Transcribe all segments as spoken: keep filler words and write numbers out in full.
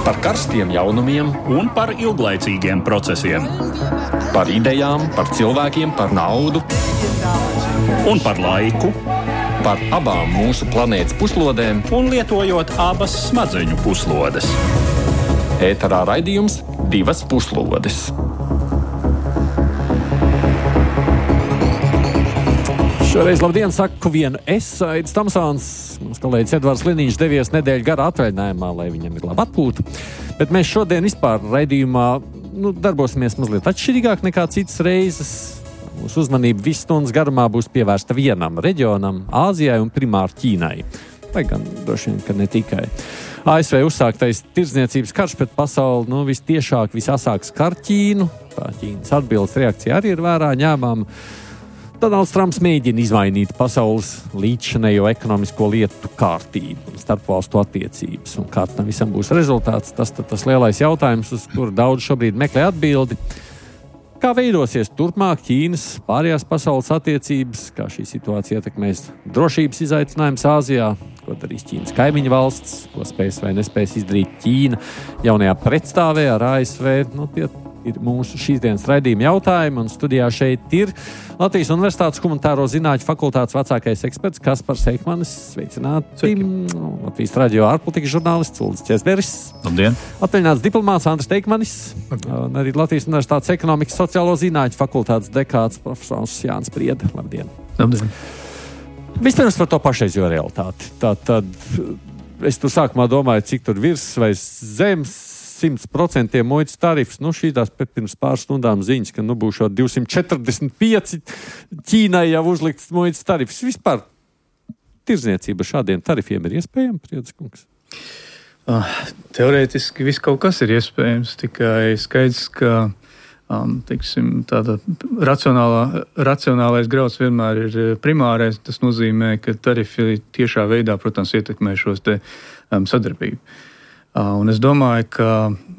Par karstiem jaunumiem un par ilglaicīgiem procesiem. Par idejām, par cilvēkiem, par naudu un par laiku. Par abām mūsu planētas puslodēm un lietojot abas smadzeņu puslodes. Ēterā raidījums Divas puslodes. Šoreiz labdien, saku vienu es, Aidis Tamsāns. Mans kolēģis Edvards Liniņš devies nedēļu garā atvaļinājumā, lai viņam ir laba atpūta. Bet mēs šodien vispār raidījumā nu, darbosimies mazliet atšķirīgāk nekā citas reizes. Mūsu uzmanība visu stundas garumā būs pievērsta vienam reģionam, Āzijai un primāri Ķīnai. Vai gan droši vien, ka ne tikai. A S V uzsāktais tirdzniecības karš pret pasauli, nu, vistiešāk, visasāk skar Ķīnu. Tā Ķīnas atbildes reakcija arī ir vērā ņēmama. Donalds Trumps mēģina izmainīt pasaules līdzšanējo ekonomisko lietu kārtību un starpvalstu attiecības. Un kāds tam visam būs rezultāts, tas tas lielais jautājums, uz kuru daudz šobrīd meklē atbildi. Kā veidosies turpmāk Ķīnas pārējās pasaules attiecības, kā šī situācija ietekmēs drošības izaicinājums Āzijā, ko darīs Ķīnas kaimiņu valsts, ko spēs vai nespēs izdarīt Ķīna jaunajā pretstāvē ar A S V. Nu, tie ir mūsu šīs dienas raidījuma jautājumi, un studijā šeit ir Latvijas Universitātes humanitāro zinātņu fakultātes vecākais eksperts Kaspars Eikmanis. Sveicināti! Latvijas radio ārpolitikas žurnālists Uldis Česberis. Labdien! Atvaļināts diplomāts Andris Teikmanis. Un arī Latvijas Universitātes ekonomikas sociālo zinātņu fakultātes dekāts profesors Jānis Prieda. Labdien! Labdien! Vispirms par to pašreizējo realitāti. Tātad es tur sākumā domāju, cik tur virs vai zemes simt procenti muitas tarifs. Nu, šī tās pirms pāris stundām ziņas, ka nu būs divsimt četrdesmit pieci Ķīnai jau uzlikts muitas tarifs. Vispār tirdzniecība šādiem tarifiem ir iespējama, Priediskungs? Uh, teorētiski viss kaut kas ir iespējams, tikai skaidrs, ka um, teiksim, tāda racionālā, racionālais grauds vienmēr ir primārais. Tas nozīmē, ka tarifi tiešā veidā, protams, ietekmē šos te um, sadarbību. Uh, un es domāju, ka...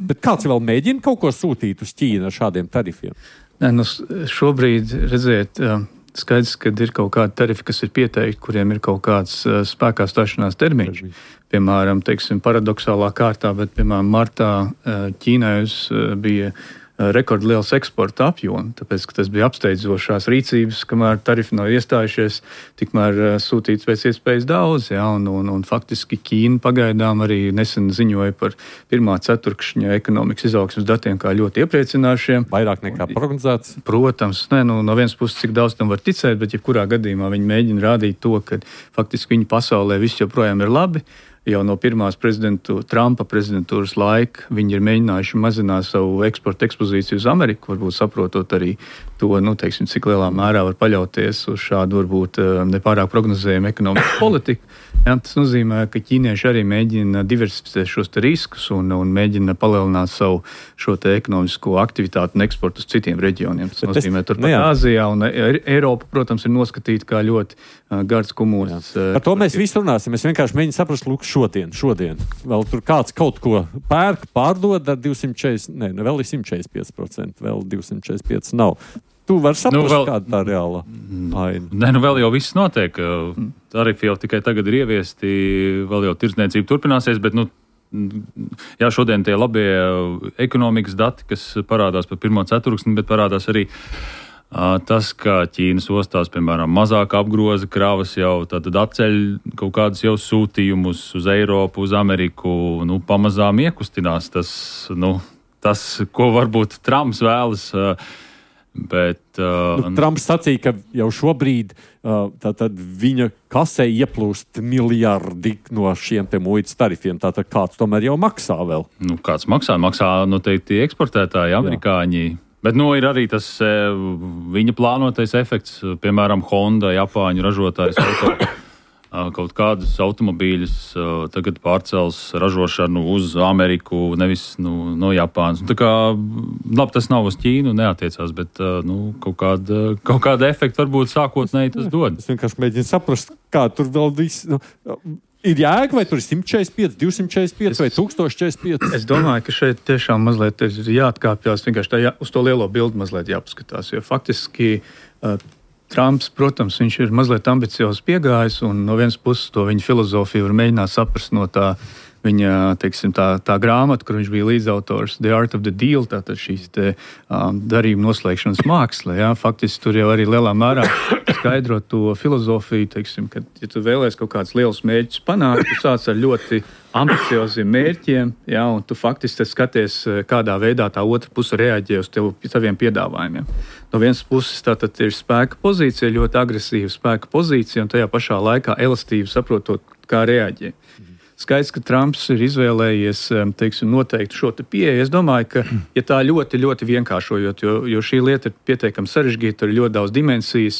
Bet kāds vēl mēģina kaut ko sūtīt uz Ķīnu ar šādiem tarifiem? Ne, nu, šobrīd, redziet, uh, skaidrs, ka ir kaut kādi tarifi, kas ir pieteikti, kuriem ir kaut kāds uh, spēkā stāšanās termiņš. Piemēram, teiksim, paradoxālā kārtā, bet, piemēram, martā uh, Ķīnai uh, bija rekordliels eksporta apjoms, tāpēc, ka tas bija apsteidzošās rīcības, kamēr tarifi nav iestājušies, tikmēr uh, sūtīts pēc iespējas daudz, jā, un, un, un faktiski Ķīna pagaidām arī nesen ziņoja par pirmā ceturkšņa ekonomikas izaugsmes datiem kā ļoti iepriecinošiem. Vairāk nekā prognozēts? Protams, ne, nu, no vienas puses, cik daudz tam var ticēt, bet jebkurā gadījumā viņi mēģina rādīt to, ka faktiski viņu pasaulē viss joprojām ir labi. Jau no pirmās prezidentu, Trumpa prezidentūras laika viņi ir mēģinājuši mazināt savu eksporta ekspozīciju uz Ameriku, varbūt saprotot arī to, nu, teiksim, cik lielā mērā var paļauties uz šādu varbūt nepārāk prognozējumu ekonomikas politiku. Jā, tas nozīmē, ka ķīnieši arī mēģina diversificēt šos te riskus un, un mēģina palielināt savu šo te ekonomisko aktivitāti un eksportu uz citiem reģioniem. Tas Bet nozīmē, turpat nu Āzijā un Eiropa, protams, ir noskatīta kā ļoti uh, gards kumūrs. Uh, Par to mēs visi runāsim. Es vienkārši mēģinu saprast, lūk, šodien, šodien. Vēl tur kāds kaut ko pērk, pārdod ar divsimt četrdesmit, ne, vēl ir simt četrdesmit pieci procenti, vēl divsimt četrdesmit pieci nav. Tu vari saprast, nu, vēl, kāda tā reāla aina. Nē, nu vēl jau viss notiek. Tarifi jau tikai tagad ir ieviesti, vēl jau tirdzniecība turpināsies, bet, nu, jā, šodien tie labie ekonomikas dati, kas parādās par pirmo ceturksni, bet parādās arī uh, tas, ka Ķīnas ostās, piemēram, mazāk apgroza kravas jau, tātad atceļ kaut kādus jau sūtījumus uz Eiropu, uz Ameriku, nu, pamazām iekustinās tas, nu, tas, ko varbūt Trumps vēlas. Uh, Bet, uh, nu, Trumps sacīja, ka jau šobrīd uh, tātad viņa kasē ieplūst miljardi no šiem te muitas tarifiem. Tātad kāds tomēr jau maksā vēl? Nu, kāds maksā? Maksā noteikti eksportētāji, amerikāņi. Jā. Bet nu, ir arī tas viņa plānotais efekts. Piemēram, Honda, Japāņu ražotājs auto. Kaut kādus automobīļus tagad pārcels ražošanu uz Ameriku, nevis nu, no Japānas. Tā kā, labi, tas nav uz Ķīnu, neatiecās, bet nu, kaut kāda, kaut kāda efekta varbūt sākotnēji tas dod. Es vienkārši mēģinu saprast, kā tur vēl viss... Nu, ir jēga, vai tur ir simt četrdesmit pieci, divsimt četrdesmit pieci vai tūkstoš četrdesmit pieci? Es domāju, ka šeit tiešām mazliet ir jāatkāpjas, vienkārši tā jā, uz to lielo bildi mazliet jāpaskatās, jo faktiski... Uh, Trumps, protams, viņš ir mazliet ambiciozs piegājis, un no vienas puses to viņa filozofiju var mēģināt saprast no tā viņa teiksim, tā, tā grāmata, kur viņš bija līdzautors, The Art of the Deal, tātad šīs te, um, darījuma noslēgšanas māksla. Ja? Faktiski tur jau arī lielā mērā skaidro to filozofiju, teiksim, ka, ja tu vēlēs kaut kādus lielus mērķus panākt, tu sāc ar ļoti ambicioziem mērķiem, ja, un tu faktiski skaties, kādā veidā tā otra puse reaģē uz tev, taviem piedāvājumiem. No vienas puses tātad ir spēka pozīcija, ļoti agresīva spēka pozīcija, un tajā pašā laikā elastība saprotot, kā reaģē. Skaidrs, ka Trumps ir izvēlējies, teiksim, noteikti šo te pieeju. Es domāju, ka, ja tā ļoti, ļoti vienkāršojot, jo, jo šī lieta ir pietiekami sarežģīta, ir ļoti daudz dimensijas,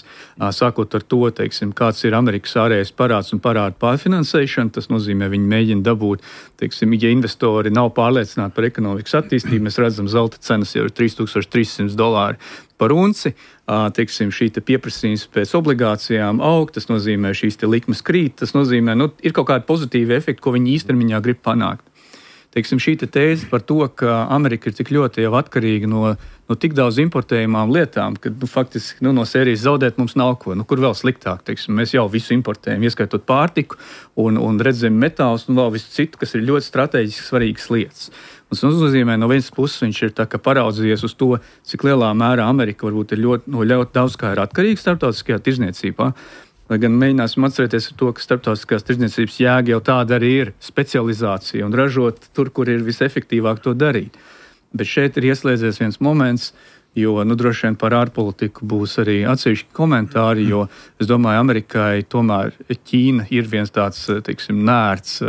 sākot ar to, teiksim, kāds ir Amerikas ārējais parāds un parādu pārfinansēšana, tas nozīmē, viņi mēģina dabūt, teiksim, ja investori nav pārliecināti par ekonomikas attīstību, mēs redzam, zelta cenas jau ir trīs tūkstoši trīs simti dolāri par unci, teiksim, šī te pieprasījums pēc obligācijām aug, tas nozīmē šīs te likmes krīt, tas nozīmē, nu, ir kaut kādi pozitīvi efekti, ko viņi īstermiņā grib panākt. Teiksim, šī te tēze par to, ka Amerika ir tik ļoti jau atkarīga no, no tik daudz importējumām lietām, ka, nu, faktiski, nu, no sērijas zaudēt mums nav ko, nu, kur vēl sliktāk, teiksim, mēs jau visu importējam, ieskaitot pārtiku un, un redzam metālus un vēl visu citu, kas ir ļoti strateģiski svarīgas lietas. Tas nozīmē, no vienas puses viņš ir tā, ka paraudzījies uz to, cik lielā mērā Amerika varbūt ir ļoti, no ļoti daudz kā ir atkarīga starptautiskajā tirzniecībā. Lai gan mēģināsim atcerēties ar to, ka starptautiskās tirzniecības jēga jau tāda arī ir specializācija un ražot tur, kur ir visefektīvāk to darīt. Bet šeit ir ieslēdzies viens moments, jo, nu, droši vien par ārpolitiku būs arī atsevišķi komentāri, jo es domāju, Amerikai tomēr Ķīna ir viens tāds, teiksim, nērts,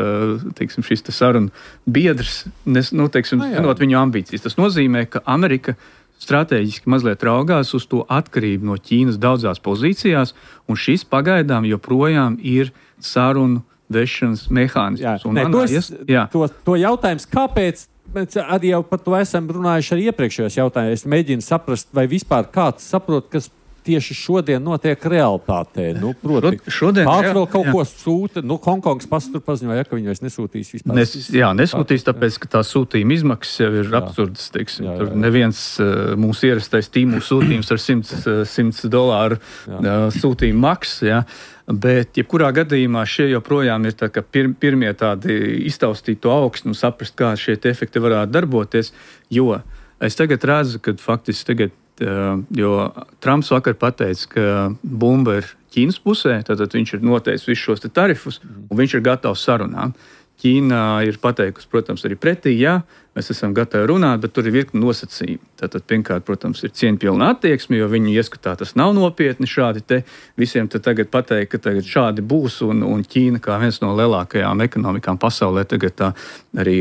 teiksim, šis te sarunu biedrs, nes, nu, teiksim, zinot viņu ambīcijas. Tas nozīmē, ka Amerika stratēģiski mazliet raugās uz to atkarību no Ķīnas daudzās pozīcijās, un šis pagaidām joprojām ir sarunu vešanas mehānisms. Jā, ne, tos, jā. To, to jautājums, kāpēc? Mēs arī jau par to esam runājuši arī iepriekšējos jautājumos. Es mēģinu saprast, vai vispār kāds saprot, kas tieši šodien notiek realitātē. Nu, proti, šodien, kāds jā, vēl kaut jā. ko sūta. Nu, Hongkongas pasts tur paziņoja, ka viņi vairs nesūtīs vispār. Nes, jā, nesūtīs, tāpēc, ka tā sūtījuma izmaksas jau ir jā. absurdas, teiksim. Jā, jā, jā. Tur neviens uh, mūsu ierastais tīmu sūtījums ar simts dolāru uh, sūtījumu maksas, jā. Bet, jebkurā gadījumā, šie joprojām ir tā, pir, pirmie tādi iztaustīt to augstu un saprast, kā šie efekti varētu darboties, jo es tagad redzu, ka faktiski tagad, jo Trumps vakar pateica, ka bumba ir Ķīnas pusē, tātad viņš ir noteicis visus šos te tarifus, un viņš ir gatavs sarunām. Ķīna ir pateikusi, protams, arī pretī, jā, mēs esam gatavi runāt, bet tur ir virkni nosacījumi. Tātad, pirmkārt, protams, ir cieņpilna attieksme, jo viņu ieskatā tas nav nopietni šādi te. Visiem te tagad pateikt, ka tagad šādi būs, un, un Ķīna, kā viens no lielākajām ekonomikām pasaulē, tagad tā arī,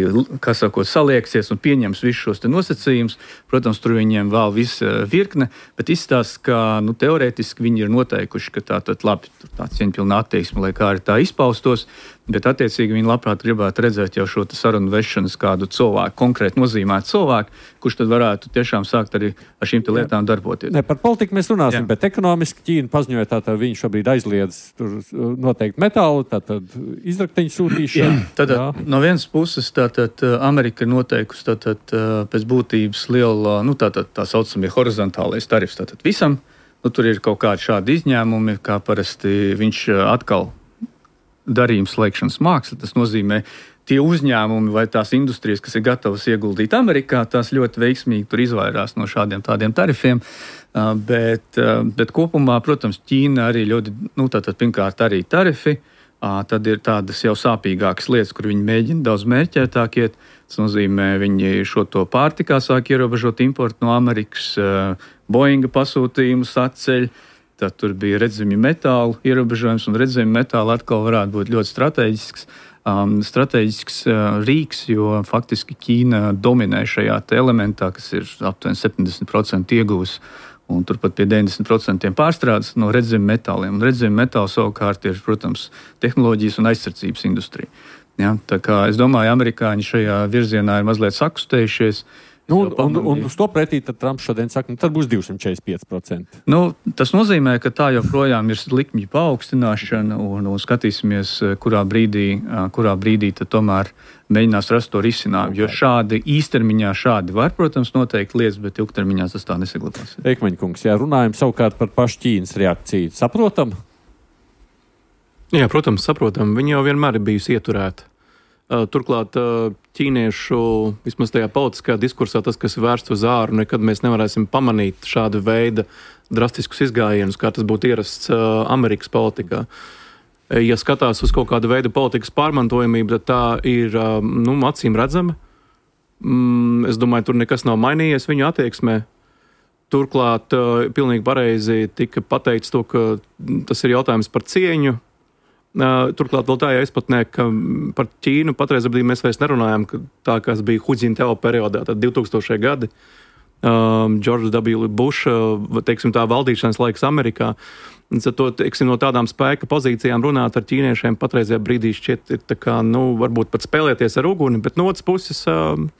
kā sakot, salieksies un pieņems visus šos te nosacījumus. Protams, tur viņiem vēl viss virkne, bet izstāsta, ka, nu, teorētiski viņi ir noteikuši, ka tā tad labi, tā cieņpilna attieksme, lai kā arī tā izpaustos, bet attiecīgi viņi labprāt gribētu redzēt jau šo sarunu vešanas kādu cilvēku, konkrēti nozīmētu cilvēku, kurš tad varētu tiešām sākt arī ar šīm lietām darboties. Ne, par politiku mēs runāsim, jā. Bet ekonomiski Ķīna paziņoja, tātad viņš šobrīd aizliedz tur noteikti metālu, tātad izrakteņu sūtīšanu. Jā, tātad no vienas puses tātad Amerika noteikusi tātad pēc būtības liela, nu tātad tā saucamie horizontālais tarifs tātad visam, nu tur ir kaut kādi šādi izņēmumi, kā parasti viņš atkal darījuma slēgšanas māksla, tas nozīmē tie uzņēmumi vai tās industrijas, kas ir gatavas ieguldīt Amerikā, tās ļoti veiksmīgi tur izvairās no šādiem tādiem tarifiem, bet, bet kopumā, protams, Ķīna arī ļoti, nu tātad pirmkārt arī tarifi, tad ir tādas jau sāpīgākas lietas, kur viņi mēģina daudz mērķētāk iet, tas nozīmē, viņi šo to pārtikā sāk ierobežot importu no Amerikas, Boeinga pasūtījumus atceļ, tad tur bija redzami metālu ierobežojums, un redzami metāli atkal varētu būt ļoti strateģisks, um, strateģisks uh, rīks, jo faktiski Ķīna dominē šajā te elementā, kas ir aptuveni septiņdesmit procenti iegūs, un turpat pie deviņdesmit procenti pārstrādes no redzami metāliem. Un redzami metāli savukārt ir, protams, tehnoloģijas un aizsardzības industrija. Ja, tā kā es domāju, amerikāņi šajā virzienā ir mazliet sakustējušies. Nu, un, un, un uz to pretī tad Trumps šodien saka, nu tad būs divsimt četrdesmit pieci procenti. Nu, tas nozīmē, ka tā joprojām ir likmju paaugstināšana, un, un skatīsimies, kurā brīdī, kurā brīdī tad tomēr mēģinās rast to risinājumu. Jo šādi īstermiņā šādi var, protams, noteikti lietas, bet ilgtermiņā tas tā nesaglabās. Eikmaņkungs, jā, runājam savukārt par pašu Ķīnas reakciju. Saprotam? Jā, protams, saprotam. Viņa jau vienmēr ir bijusi ieturēta. Turklāt ķīniešu, vismaz tajā politiskajā diskursā, tas, kas ir vērsts uz āru, nekad mēs nevarēsim pamanīt šādu veidu drastiskus izgājienus, kā tas būtu ierasts Amerikas politikā. Ja skatās uz kaut kādu veidu politikas pārmantojamību, tad tā ir nu, acīm redzama. Es domāju, tur nekas nav mainījies viņu attieksmē. Turklāt pilnīgi pareizi tika pateikts to, ka tas ir jautājums par cieņu. Turklāt vēl tā jāizpatnē, ka par Ķīnu patreiz brīdī mēs vairs nerunājam, ka tā, kas bija Hu Jintao periodā, tad divtūkstošie gadi, um, George W. Bush, teiksim, tā valdīšanas laiks Amerikā. To, teiksim, no tādām spēka pozīcijām runāt ar ķīniešiem patreizajā brīdī šķiet ir tā kā, nu, varbūt pat spēlēties ar uguni, bet no otras puses, um,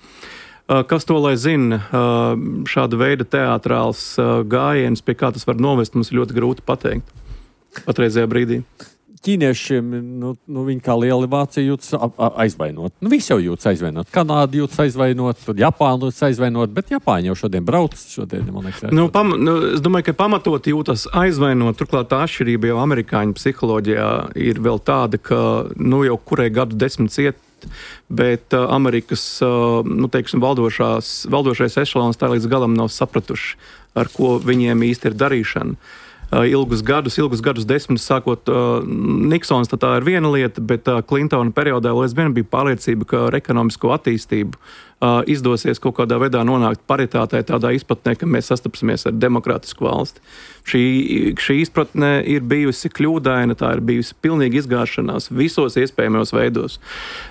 kas to lai zina, um, šāda veida teātrāls uh, gājiens, pie kā tas var novest, mums ir ļoti grūti pateikt patreizajā brīdī. Ķīniešiem, nu, nu viņi kā lieli vācija jūtas aizvainot. Nu, visi jau jūtas aizvainot. Kanāda jūtas aizvainot, tad Japāna jūtas aizvainot, bet Japāņi jau šodien brauc. Šodien, man liekas, nu, pam, nu, es domāju, ka pamatot jūtas aizvainot. Turklāt tā atšķirība jau amerikāņu psiholoģijā ir vēl tāda, ka nu, jau kurai gadu desmit iet, bet uh, Amerikas uh, nu, teiksim, valdošās, valdošais ešalons tā līdz galam nav sapratuši, ar ko viņiem īsti ir darīšana. Ilgus gadus, ilgus gadus desmitus sākot uh, Niksons, tā ir viena lieta, bet uh, Klintona periodā vēl aizvien bija pārliecība, ka ar ekonomisko attīstību uh, izdosies kaut kādā veidā nonākt paritātē tādā izpratnē, ka mēs sastapsimies ar demokrātisku valsti. Šī, šī izpratne ir bijusi kļūdaina, tā ir bijusi pilnīgi izgāšanās visos iespējamajos veidos.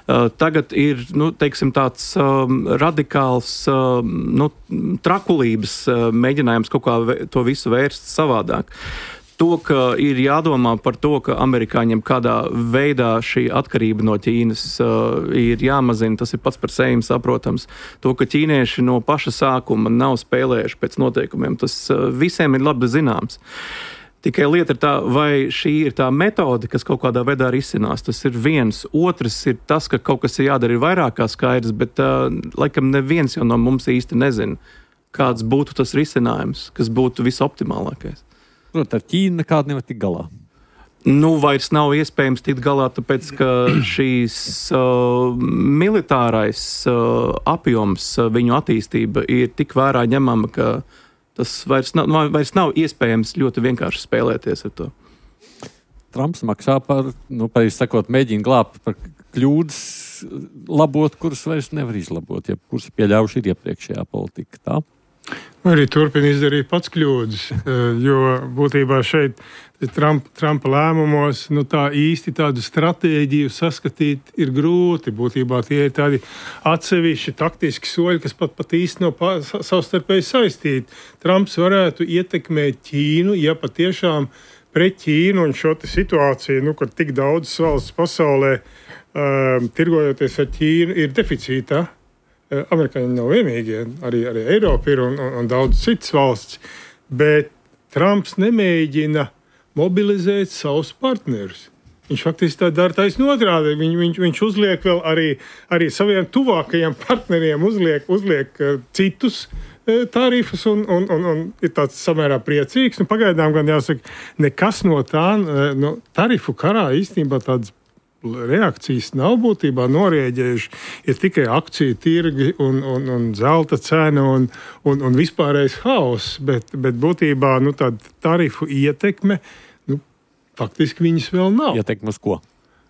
Uh, tagad ir, nu, teiksim, tāds um, radikāls um, nu, trakulības uh, mēģinājums kaut kā to visu vērst savādāk. To, ka ir jādomā par to, ka amerikāņiem kādā veidā šī atkarība no Ķīnas uh, ir jāmazina, tas ir pats par sevi saprotams. To, ka ķīnieši no paša sākuma nav spēlējuši pēc noteikumiem, tas uh, visiem ir labi zināms. Tikai lieta ir tā, vai šī ir tā metode, kas kaut kādā veidā risinās. Tas ir viens. Otrs ir tas, ka kaut kas ir jādara ir vairāk kā skaidrs, bet uh, laikam neviens jau no mums īsti nezina, kāds būtu tas risinājums, kas būtu visoptimālākais. Protams, ar Ķīnu nekādu nevar tikt galā. Nu, vairs nav iespējams tikt galā, tāpēc, ka šīs uh, militārais uh, apjoms, uh, viņu attīstība ir tik vērā ņemama, ka tas vairs nav, vairs nav iespējams ļoti vienkārši spēlēties ar to. Trumps maksā par, nu, pareizi sakot, mēģina glābt par kļūdas labot, kuras vairs nevar izlabot, ja kuras pieļaujuši ir iepriekšējā politika, tā? Arī turpina izdarīt pats kļūdas, jo būtībā šeit Trump, Trumpa lēmumos nu, tā īsti tādu stratēģiju saskatīt ir grūti. Būtībā tie ir tādi atsevišķi taktiski soļi, kas pat, pat īsti nav no savstarpēji saistīti. Trumps varētu ietekmēt Ķīnu, ja patiešām pret Ķīnu un šo situāciju, nu, kad tik daudzas valsts pasaulē um, tirgojoties ar Ķīnu ir deficītā. Amerikāņi nav vienīgie, arī, arī Eiropa ir un, un, un daudz citas valsts, bet Trumps nemēģina mobilizēt savus partnerus. Viņš faktiski tā dara taisni otrādi. Viņ, viņš, viņš uzliek vēl arī, arī saviem tuvākajiem partneriem uzliek, uzliek uh, citus uh, tarifus un, un, un, un ir tāds samērā priecīgs. Nu, pagaidām gan jāsaka, nekas no tā uh, no tarifu karā īstenībā tāds reakcijas nav būtībā norēģējuši, ir tikai akciju tirgi un, un, un zelta cena un, un, un vispārējais haoss, bet, bet būtībā nu, tāda tarifu ietekme, nu, faktiski viņas vēl nav. Ietekme uz ko?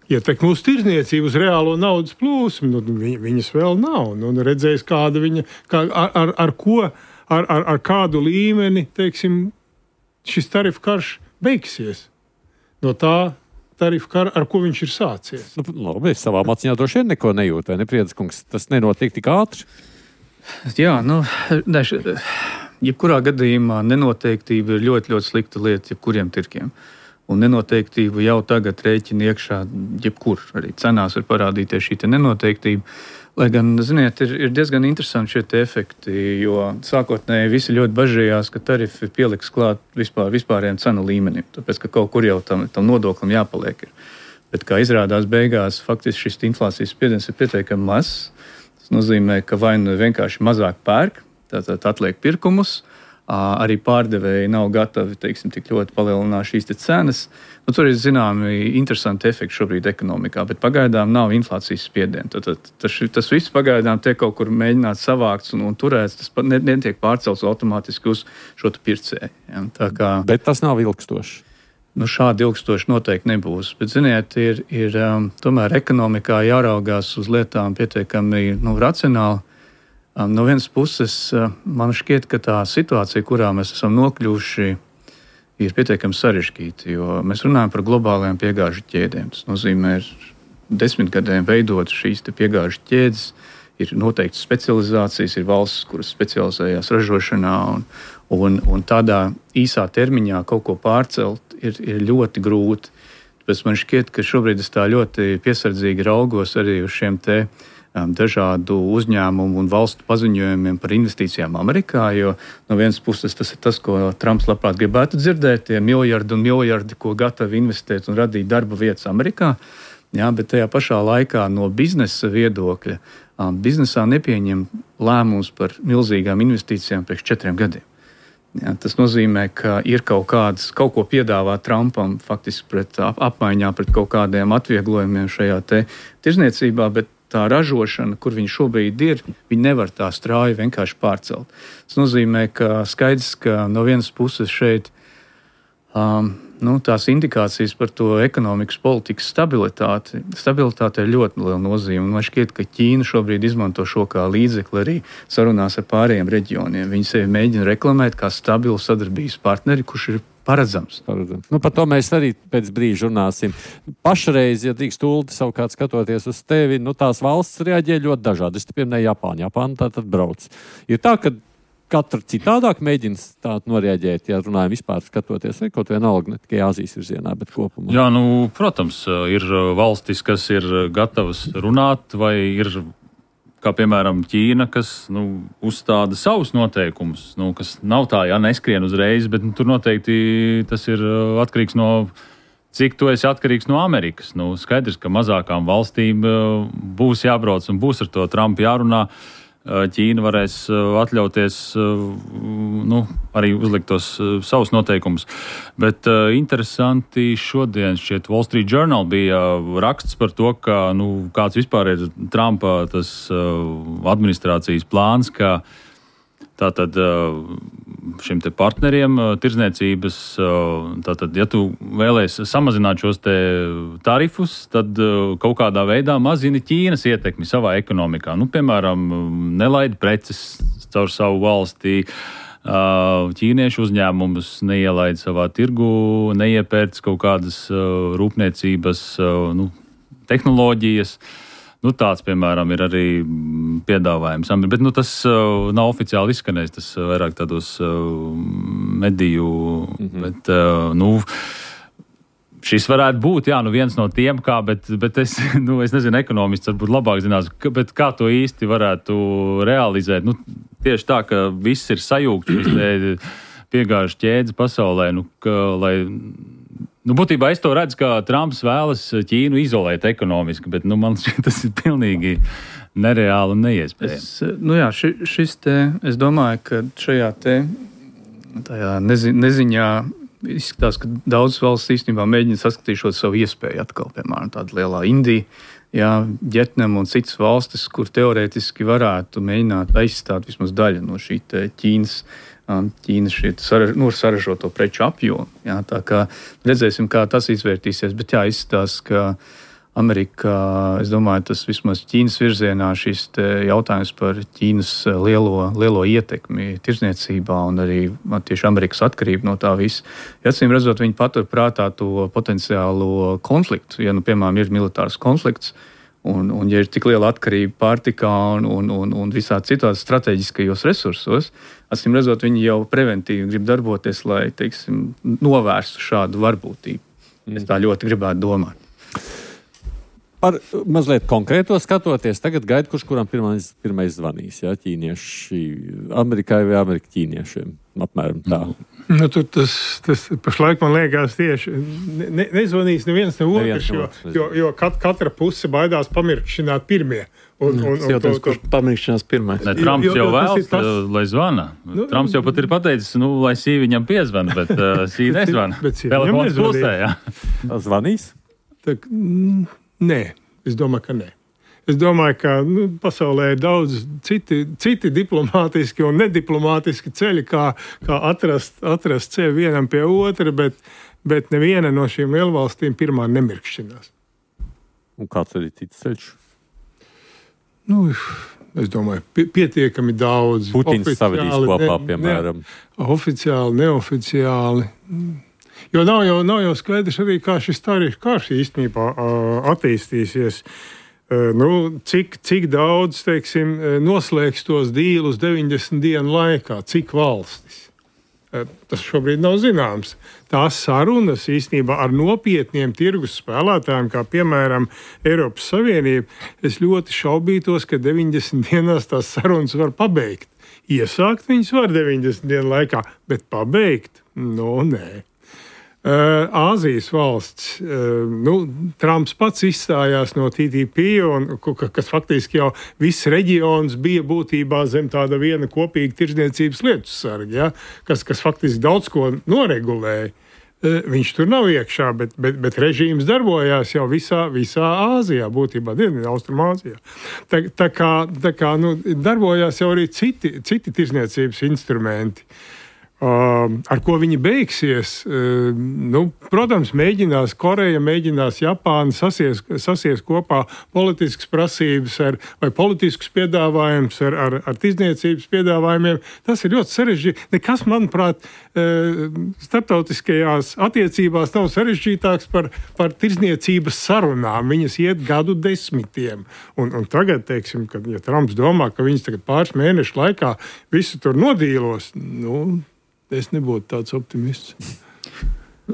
Ietekme uz tirdzniecību, uz reālo naudas plūsmu, nu, viņ, viņas vēl nav. Nu, redzējis, kāda viņa, kā, ar, ar, ar ko, ar, ar, ar kādu līmeni, teiksim, šis tarifu karš beigsies. No tā tarifu karu, ar ko viņš ir sācies. Nu, labi, es savā maciņā droši vien neko nejūtu, vai ne, Priediskungs? Tas nenotiek tik ātri? Jā, nu, daž, jebkurā gadījumā nenoteiktība ir ļoti, ļoti slikta lieta jebkuriem tirkiem. Un nenoteiktību jau tagad rēķina iekšā jebkur. Arī cenās var parādīties šī nenoteiktība. Lai gan, ziniet, ir, ir diezgan interesanti šie te efekti, jo sākotnēji visi ļoti bažījās, ka tarifi pieliks klāt vispār, vispārējiem cenu līmenim, tāpēc, ka kaut kur jau tam, tam nodoklim jāpaliek ir. Bet, kā izrādās beigās, faktiski šis inflācijas spiediens ir pietiekami mazs. Tas nozīmē, ka vai nu vienkārši mazāk pērk, tātad atliek pirkumus, arī pārdevēji nav gatavi, teiksim, tik ļoti palielināt šīs te cenas. Nu, tur ir zināmi interesanti efekti šobrīd ekonomikā, bet pagaidām nav inflācijas spiediena. Tad, tad, tas, tas viss pagaidām tiek kaut kur mēģināts savākts un, un turēts, tas netiek pārcelts automātiski uz šo pircēju. Ja? Tā kā, bet tas nav ilgstoši. Nu, šādi ilgstoši noteikti nebūs. Bet, ziniet, ir, ir um, tomēr ekonomikā jāraugās uz lietām pietiekami nu, racionāli. Um, no vienas puses, uh, man šķiet, ka tā situācija, kurā mēs esam nokļuvuši, ir pietiekami sarežģīta, jo mēs runājam par globālajām piegāžu ķēdēm. Tas nozīmē, ka desmit gadiem veidot šīs piegāžu ķēdes, ir noteikti specializācijas, ir valstis, kuras specializējās ražošanā, un, un, un tādā īsā termiņā kaut ko pārcelt ir, ir ļoti grūti. Tāpēc man šķiet, ka šobrīd es tā ļoti piesardzīgi raugos arī uz šiem te dažādu uzņēmumu un valstu paziņojumiem par investīcijām Amerikā, jo no vienas puses tas ir tas, ko Trumps labprāt gribētu dzirdēt, tie miljardi un miljardi, ko gatavi investēt un radīt darba vietas Amerikā, jā, bet tajā pašā laikā no biznesa viedokļa biznesā nepieņem lēmums par milzīgām investīcijām priekš četriem gadiem. Jā, tas nozīmē, ka ir kaut kāds, kaut ko piedāvā Trumpam faktiski pret apmaiņā pret kaut kādiem atvieglojumiem šajā te tirzniecībā, bet tā ražošana, kur viņi šobrīd ir, viņi nevar tā strauji vienkārši pārcelt. Tas nozīmē, ka skaidrs, ka no vienas puses šeit um, nu, tās indikācijas par to ekonomikas politikas stabilitāti, stabilitāte ir ļoti liela nozīme. Man šķiet, ka Ķīna šobrīd izmanto šo kā līdzekli arī sarunās ar pārējiem reģioniem. Viņi sevi mēģina reklamēt kā stabilu sadarbības partneri, kurš ir paredzams. paredzams. Nu, par to mēs arī pēc brīža runāsim. Pašreiz, ja drīkst Uldi savukārt skatoties uz tevi, nu, tās valsts reaģē ļoti dažādi. Es te pieminēju Japānu. Japāna tā tad brauc. Ir tā, ka katra citādāk mēģina tā noreaģēt, ja runājam vispār skatoties, vai kaut vienalga ne tikai Āzijas virzienā, bet kopumā. Jā, nu, protams, ir valstis, kas ir gatavas runāt, vai ir kā piemēram Ķīna, kas nu, uzstāda savus noteikumus, nu, kas nav tā, ja neskrien uzreiz, bet nu, tur noteikti tas ir atkarīgs no, cik tu esi atkarīgs no Amerikas. Nu, skaidrs, ka mazākām valstīm būs jābrauc un būs ar to Trumpu jārunā. Ķīna varēs atļauties nu, arī uzlikt tos savus noteikumus. Bet uh, interesanti šodien šķiet Wall Street Journal bija raksts par to, ka, nu, kāds vispār ir Trumpa tas uh, administrācijas plāns, ka tātad uh, šiem te partneriem uh, tirdzniecības, uh, tātad, ja tu vēlēs samazināt šos te tarifus, tad uh, kaut kādā veidā mazini Ķīnas ietekmi savā ekonomikā. Nu, piemēram, nelaid preces caur savu valstī, uh, ķīniešu uzņēmumus neielaid savā tirgu, neiepērc kaut kādas uh, rūpniecības uh, nu, tehnoloģijas. Nu, tāds, piemēram, ir arī piedāvājums. Bet nu, tas uh, nav oficiāli izskanējis, tas uh, vairāk tādos uh, mediju. Mm-hmm. Bet, uh, nu, šis varētu būt, jā, nu viens no tiem, kā, bet, bet es, nu, es nezinu, ekonomists varbūt labāk zinās, bet kā to īsti varētu realizēt. Nu, tieši tā, ka viss ir sajūgts, šis piegāžu ķēdes pasaulē, nu, ka, lai... Nu, būtībā es to redzu, ka Trumps vēlas Ķīnu izolēt ekonomiski, bet nu, man šķiet, tas ir pilnīgi nereāli un neiespējami. Es, nu jā, ši, šis te, es domāju, ka šajā te tajā nezi, neziņā izskatās, ka daudzas valsts īstenībā mēģina saskatīt šo savu iespēju atkal, piemēram, tāda lielā Indija, jā, Vjetnam un citas valstis, kur teorētiski varētu mēģināt aizstāt vismaz daļu no šī te Ķīnas Ķīnas saraž, nu, saražoto preču apjomu. Jā, tā kā redzēsim, kā tas izvērtīsies, bet jā, izskatās, ka Amerikā, es domāju, tas vismaz Ķīnas virzienā šis jautājums par Ķīnas lielo, lielo ietekmi tirdzniecībā un arī tieši Amerikas atkarību no tā visa. Ja, acīm redzot, viņi patur prātā to potenciālo konfliktu, ja, nu, piemēram, ir militārs konflikts, Un, un ja ir tik liela atkarība pārtikā un, un, un, un visā citos strateģiskajos resursos, acīm redzot, viņi jau preventīvi grib darboties, lai, teiksim, novērstu šādu varbūtību. Mm. Es tā ļoti gribētu domāt. Par mazliet konkrēto skatoties, tagad gaida, kurš kuram pirmais, pirmais zvanīs, jā, ķīnieši Amerikai vai Amerika ķīniešiem, apmēram tā. Nu, tur tas, tas pašlaik man liekas tieši ne, nezvanīs neviens ne otrs, jo, jo, jo kat, katra puse baidās pamirkšināt pirmie. Un, un, un, jautājums, kurš pamirkšanās pirmais. Ne, Trumps jo, jo, jau vēlas, tas... lai zvana. Nu, Trumps jau pat ir pateicis, nu, lai sī viņam piezvana, bet uh, sī nezvana. Telefons pusē, jā. Zvanīs? Tak, nē, es domāju, ka nē. Es domāju, ka nu, pasaulē ir daudz citi, citi diplomātiski un nediplomātiski ceļi, kā, kā atrast, atrast ceļu vienam pie otra, bet, bet neviena no šīm lielvalstīm pirmā nemirkšķinās. Un kāds arī cits ceļš? Nu, es domāju, pietiekami daudz. Putins savadīs kopā, piemēram. Ne, oficiāli, neoficiāli. Jo nav jau, nav jau skaidrs arī, kā šis tarifu karš īstenībā attīstīsies. Nu, cik, cik daudz, teiksim, noslēgs tos dīlus deviņdesmit dienu laikā, cik valstis. Tas šobrīd nav zināms. Tās sarunas īstenībā ar nopietniem tirgus spēlētājiem, kā piemēram Eiropas Savienība, es ļoti šaubītos, ka deviņdesmit dienās tās sarunas var pabeigt. Iesākt viņas var deviņdesmit dienu laikā, bet pabeigt? No, nē. Āzijas valsts, nu, Trumps pats izstājās no T T P, un, kas faktiski jau viss reģions bija būtībā zem tāda viena kopīga tirdzniecības lietu sarga, ja, kas, kas faktiski daudz ko noregulēja. Viņš tur nav iekšā, bet, bet, bet režīms darbojās jau visā, visā Āzijā, būtībā Dienvidu Austrumāzijā. Tā, tā kā, tā kā nu, darbojās jau arī citi, citi tirdzniecības instrumenti. Uh, ar ko viņi beigsies? Uh, nu, protams, mēģinās Koreja, mēģinās Japāna sasies, sasies kopā politiskas prasības ar, vai politiskus piedāvājumus ar, ar, ar tirdzniecības piedāvājumiem. Tas ir ļoti sarežģīti. Nekas, manuprāt, uh, starptautiskajās attiecībās nav sarežģītāks par, par tirdzniecības sarunām. Viņas iet gadu desmitiem. Un, un tagad, teiksim, kad ja Trumps domā, ka viņas tagad pāris mēnešu laikā visu tur nodīlos, nu, es nebūtu tāds optimists.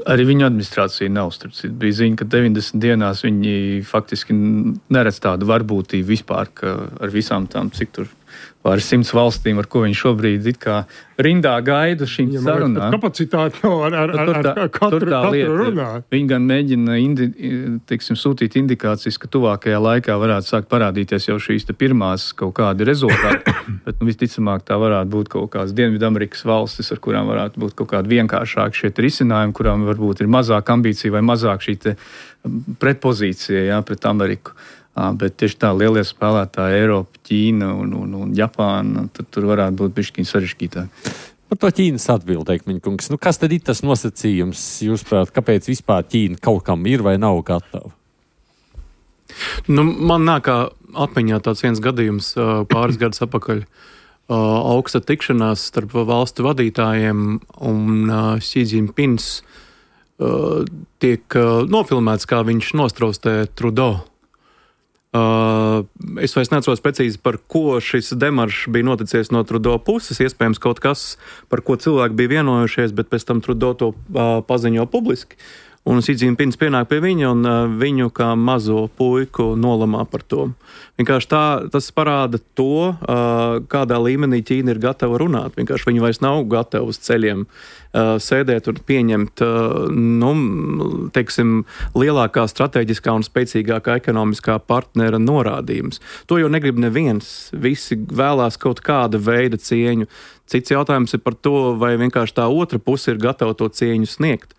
Arī viņa administrācija nav starpcīt. Bija ziņa, ka deviņdesmit dienās viņi faktiski neredz tādu varbūtību vispār, ka ar visām tām, cik tur pāris simts valstīm, ar ko viņi šobrīd it kā rindā gaida šīm ja sarunām. Kapacitāti nav ar, ar, ar, ar, ar katru, katru runāt. Viņi gan mēģina indi, teiksim, sūtīt indikācijas, ka tuvākajā laikā varētu sākt parādīties jau šīs te pirmās kaut kādi rezultāti, bet nu, visticamāk tā varētu būt kaut kādas Dienvidamerikas valstis, ar kurām varētu būt kaut kādi vienkāršāki šie risinājumi, kurām varbūt ir mazāk ambīcija vai mazāk šī te pretpozīcija, jā, pret Ameriku. Bet tieši tā lielie spēlētāji Eiropa, Ķīna un, un, un Japāna, tad tur varētu būt bišķiņ sarežģītāk. Par to Ķīnas atbildi, Ekmeņa kungs. Nu, kas tad ir tas nosacījums, jūsuprāt, kāpēc vispār Ķīna kaut kam ir vai nav gatava? Nu, man nāk atmiņā tāds viens gadījums pāris gadus atpakaļ. Augsta tikšanās starp valstu vadītājiem un Xi Jinpings tiek nofilmēts, kā viņš nostraustē Trudeau. Uh, es vairs neatceros precīzi, par ko šis demaršs bija noticies no Trudeau puses. Iespējams, kaut kas, par ko cilvēki bija vienojušies, bet pēc tam Trudeau to uh, paziņo publiski. Un Xi Jinpings pienāk pie viņa un uh, viņu kā mazo puiku nolamā par to. Vienkārši tā, tas parāda to, uh, kādā līmenī Ķīna ir gatava runāt. Vienkārši viņi vairs nav gatavi uz ceļiem uh, sēdēt un pieņemt, uh, nu, teiksim, lielākā strateģiskā un spēcīgākā ekonomiskā partnera norādījumus. To jau negrib neviens. Visi vēlās kaut kāda veida cieņu. Cits jautājums ir par to, vai vienkārši tā otra puse ir gatava to cieņu sniegt.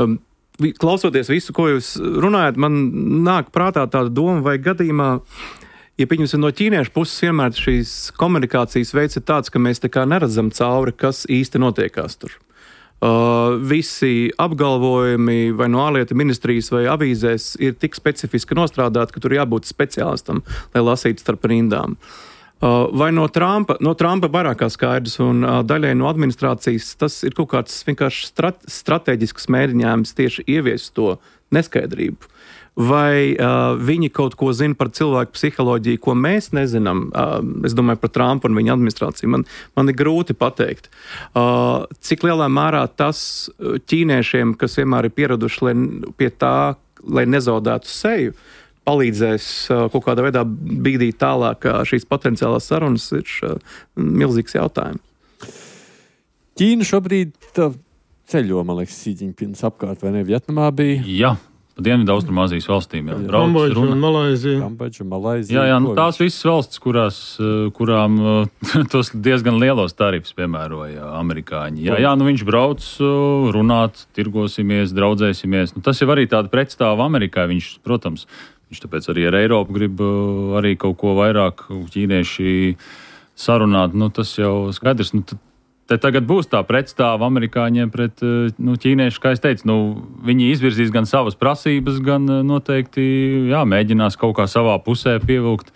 Um, Klausoties visu, ko jūs runājat, man nāk prātā tāda doma, vai gadījumā, ja pieņemsim no ķīniešu puses, vienmēr šīs komunikācijas veids ir tāds, ka mēs tā kā neredzam cauri, kas īsti notiekās tur. Uh, visi apgalvojumi vai no ārlietu ministrijas vai avīzēs ir tik specifiski nostrādāti, ka tur jābūt speciālistam, lai lasītu starp rindām. Uh, vai no Trumpa, no Trumpa vairāk kā skaidrs un uh, daļai no administrācijas tas ir kaut kāds vienkārši strat, strateģisks mēģinājums tieši ieviest to neskaidrību. Vai uh, viņi kaut ko zina par cilvēku psiholoģiju, ko mēs nezinām? Uh, es domāju par Trumpu un viņa administrāciju. Man, man ir grūti pateikt. Uh, cik lielā mērā tas ķīniešiem, kas vienmēr ir pieraduši lai, pie tā, lai nezaudētu seju, palīdzēs kaut kādā veidā bīdīt tālāk šīs potenciālās sarunas, ir milzīgs jautājums. Ķīna šobrīd ceļo, man liekas, Xi Jinpings apkārt, vai ne? Vietnamā bija? Jā. Dienvidu Austrumāzijas valstīm. Jā, Kambodža un Malaizija. Kambodža, Malaizija. Jā, jā, nu, tās visas valstis, kurās, kurām tos diezgan lielos tarifus piemēroja amerikāņi. Jā, jā, nu viņš brauc runāt, tirgosimies, draudzēsimies. Nu, tas jau arī tāda pretstāva Amerikai. Viņš, protams, viņš tāpēc arī ar Eiropu grib arī kaut ko vairāk ķīnieši sarunāt. Nu, tas jau skaidrs. Nu, Te tagad būs tā pretstāva amerikāņiem pret nu, ķīniešu, kā es teicu, nu, viņi izvirzīs gan savas prasības, gan noteikti jā, mēģinās kaut kā savā pusē pievilkt.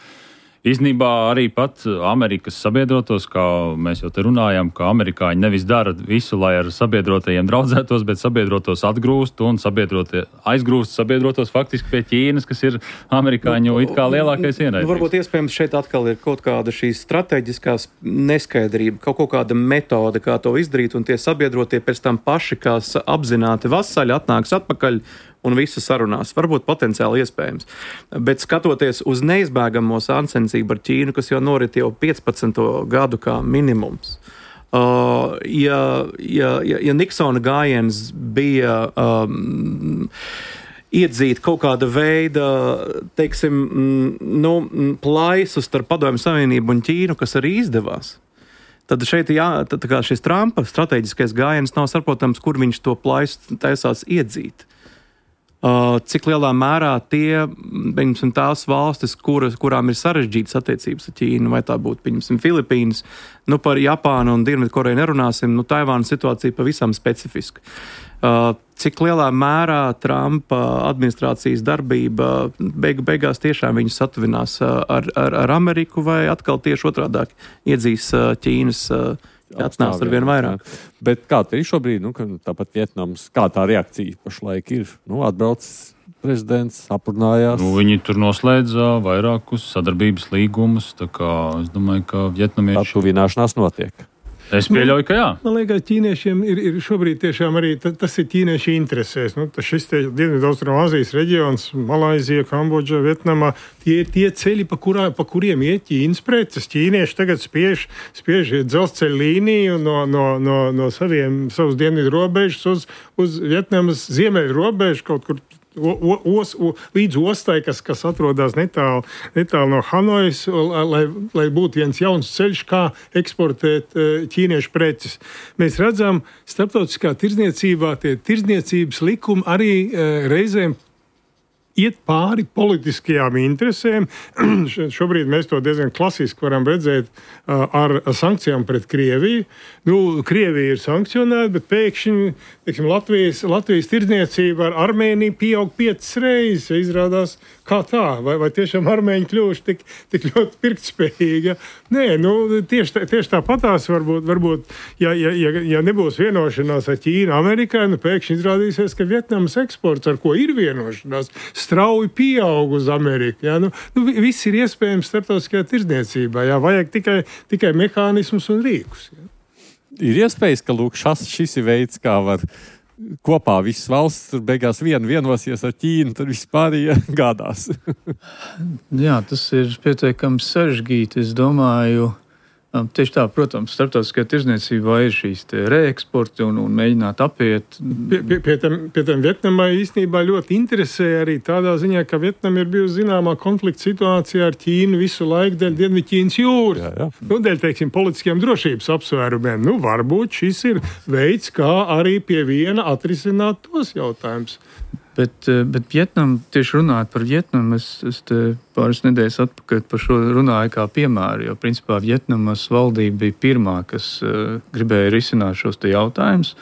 Īstenībā arī pat Amerikas sabiedrotos, kā mēs jau te runājam, ka amerikāņi nevis dara visu, lai ar sabiedrotajiem draudzētos, bet sabiedrotos atgrūst un sabiedrotie aizgrūst sabiedrotos faktiski pie Ķīnas, kas ir amerikāņu it kā lielākais ienaidnieks. Nu, varbūt iespējams šeit atkal ir kaut kāda šīs strateģiskās neskaidrība, kaut, kaut kāda metode, kā to izdarīt, un tie sabiedrotie pēc tam paši, kas apzināti vasaļi, atnāks atpakaļ un visu sarunās. Varbūt potenciāli iespējams. Bet skatoties uz neizbēgamo sāncensību ar Ķīnu, kas jau norit jau piecpadsmito gadu kā minimums, uh, ja, ja, ja, ja Niksona gājiens bija um, iedzīt kaut kāda veida, teiksim, nu, plaisu starp Padomju Savienību un Ķīnu, kas arī izdevās, tad šeit jā, tad, kā šis Trumpa strateģiskais gājiens nav saprotams, kur viņš to plaisu taisās iedzīt. Uh, cik lielā mērā tie, pieņemsim, tās valstis, kuras, kurām ir sarežģītas attiecības ar Ķīnu, vai tā būtu, pieņemsim, Filipīnas, nu par Japānu un Dienvidkoreju nerunāsim, nu Taivānas situācija pavisam specifiska. Uh, cik lielā mērā Trumpa administrācijas darbība beigu beigās tiešām viņus satuvinās ar, ar, ar Ameriku, vai atkal tieši otrādāk iedzīs Ķīnas atnāks ar vien vairāk. Bet kā te ir šobrīd, nu, ka tāpat Vietnams, kā tā reakcija pašlaik ir? Nu, atbraucis prezidents, aprunājās. Nu, viņi tur noslēdza vairākus sadarbības līgumus, tā kā es domāju, ka vietnamieši... Tā tuvināšanās notiek. Es pieļauju, ka jā. Man liekas, ķīniešiem ir, ir šobrīd tiešām arī tas ir ķīnieši interesēs. Nu, šis te Dienvidaustrumāzijas reģions, Malaizija, Kambodža, Vietnamā, tie ir tie ceļi, pa, kurā, pa kuriem iet Ķīnas preces. Ķīnieši tagad spiež, spiež dzelzceļa līniju no, no, no, no saviem, savus dienvidu robežas uz, uz Vietnamas ziemeļu robežu kaut kur O, o, os, o, līdz ostai, kas, kas atrodas netālu, netālu no Hanojas, lai, lai būtu viens jauns ceļš, kā eksportēt ķīniešu preces. Mēs redzam, starptautiskā tirdzniecībā tie tirdzniecības likumi arī reizēm iet pāri politiskajām interesēm. Šobrīd mēs to diezgan klasiski varam redzēt uh, ar sankcijām pret Krieviju. Nu, Krievija ir sankcionēta, bet pēkšņi, teiksim, Latvijas, Latvijas tirdzniecība ar Armēniju pieaug piecas reizes. Izrādās, kā tā? Vai, vai tiešām armēņi kļuvuši tik, tik ļoti pirktspējīgi? Nē, nu, tieši, tā, tieši tāpatās varbūt, varbūt ja, ja, ja, ja nebūs vienošanās ar Ķīnu, Amerikai, nu, pēkšņi izrādīsies, ka Vietnamas eksports, ar ko ir vienošanās, strauji pieaug uz Ameriku. Jā, nu, nu, viss ir iespējams starptautiskajā tirdzniecībā. Jā, vajag tikai, tikai mehānismus un rīkus. Jā. Ir iespējas, ka lūk, šas, šis ir veids, kā var kopā visas valsts tur beigās vien vienosies ar Ķīnu, tad vispār gādās. Jā, tas ir pietiekami sarežģīti. Es domāju, tieši tā, protams, starptautiskajā tirdzniecībā ir šīs reeksporti un, un mēģināt apiet. Pie, pie, pie, tam, pie tam Vietnamai īstenībā ļoti interesē arī tādā ziņā, ka Vietnama ir bijusi zināmā konflikta situācijā ar Ķīnu visu laiku dēļ Dienvidķīnas jūras. Jā, jā. Nu, dēļ, teiksim, politiskiem drošības apsvērumiem. Nu, varbūt šis ir veids, kā arī pie viena atrisināt tos jautājumus. Bet, bet Vietnam, tieši runājot par Vietnamu, es, es te pāris nedēļas atpakaļ par šo runāju kā piemēru, jo principā Vietnamas valdība bija pirmā, kas uh, gribēja risināt šos te jautājumus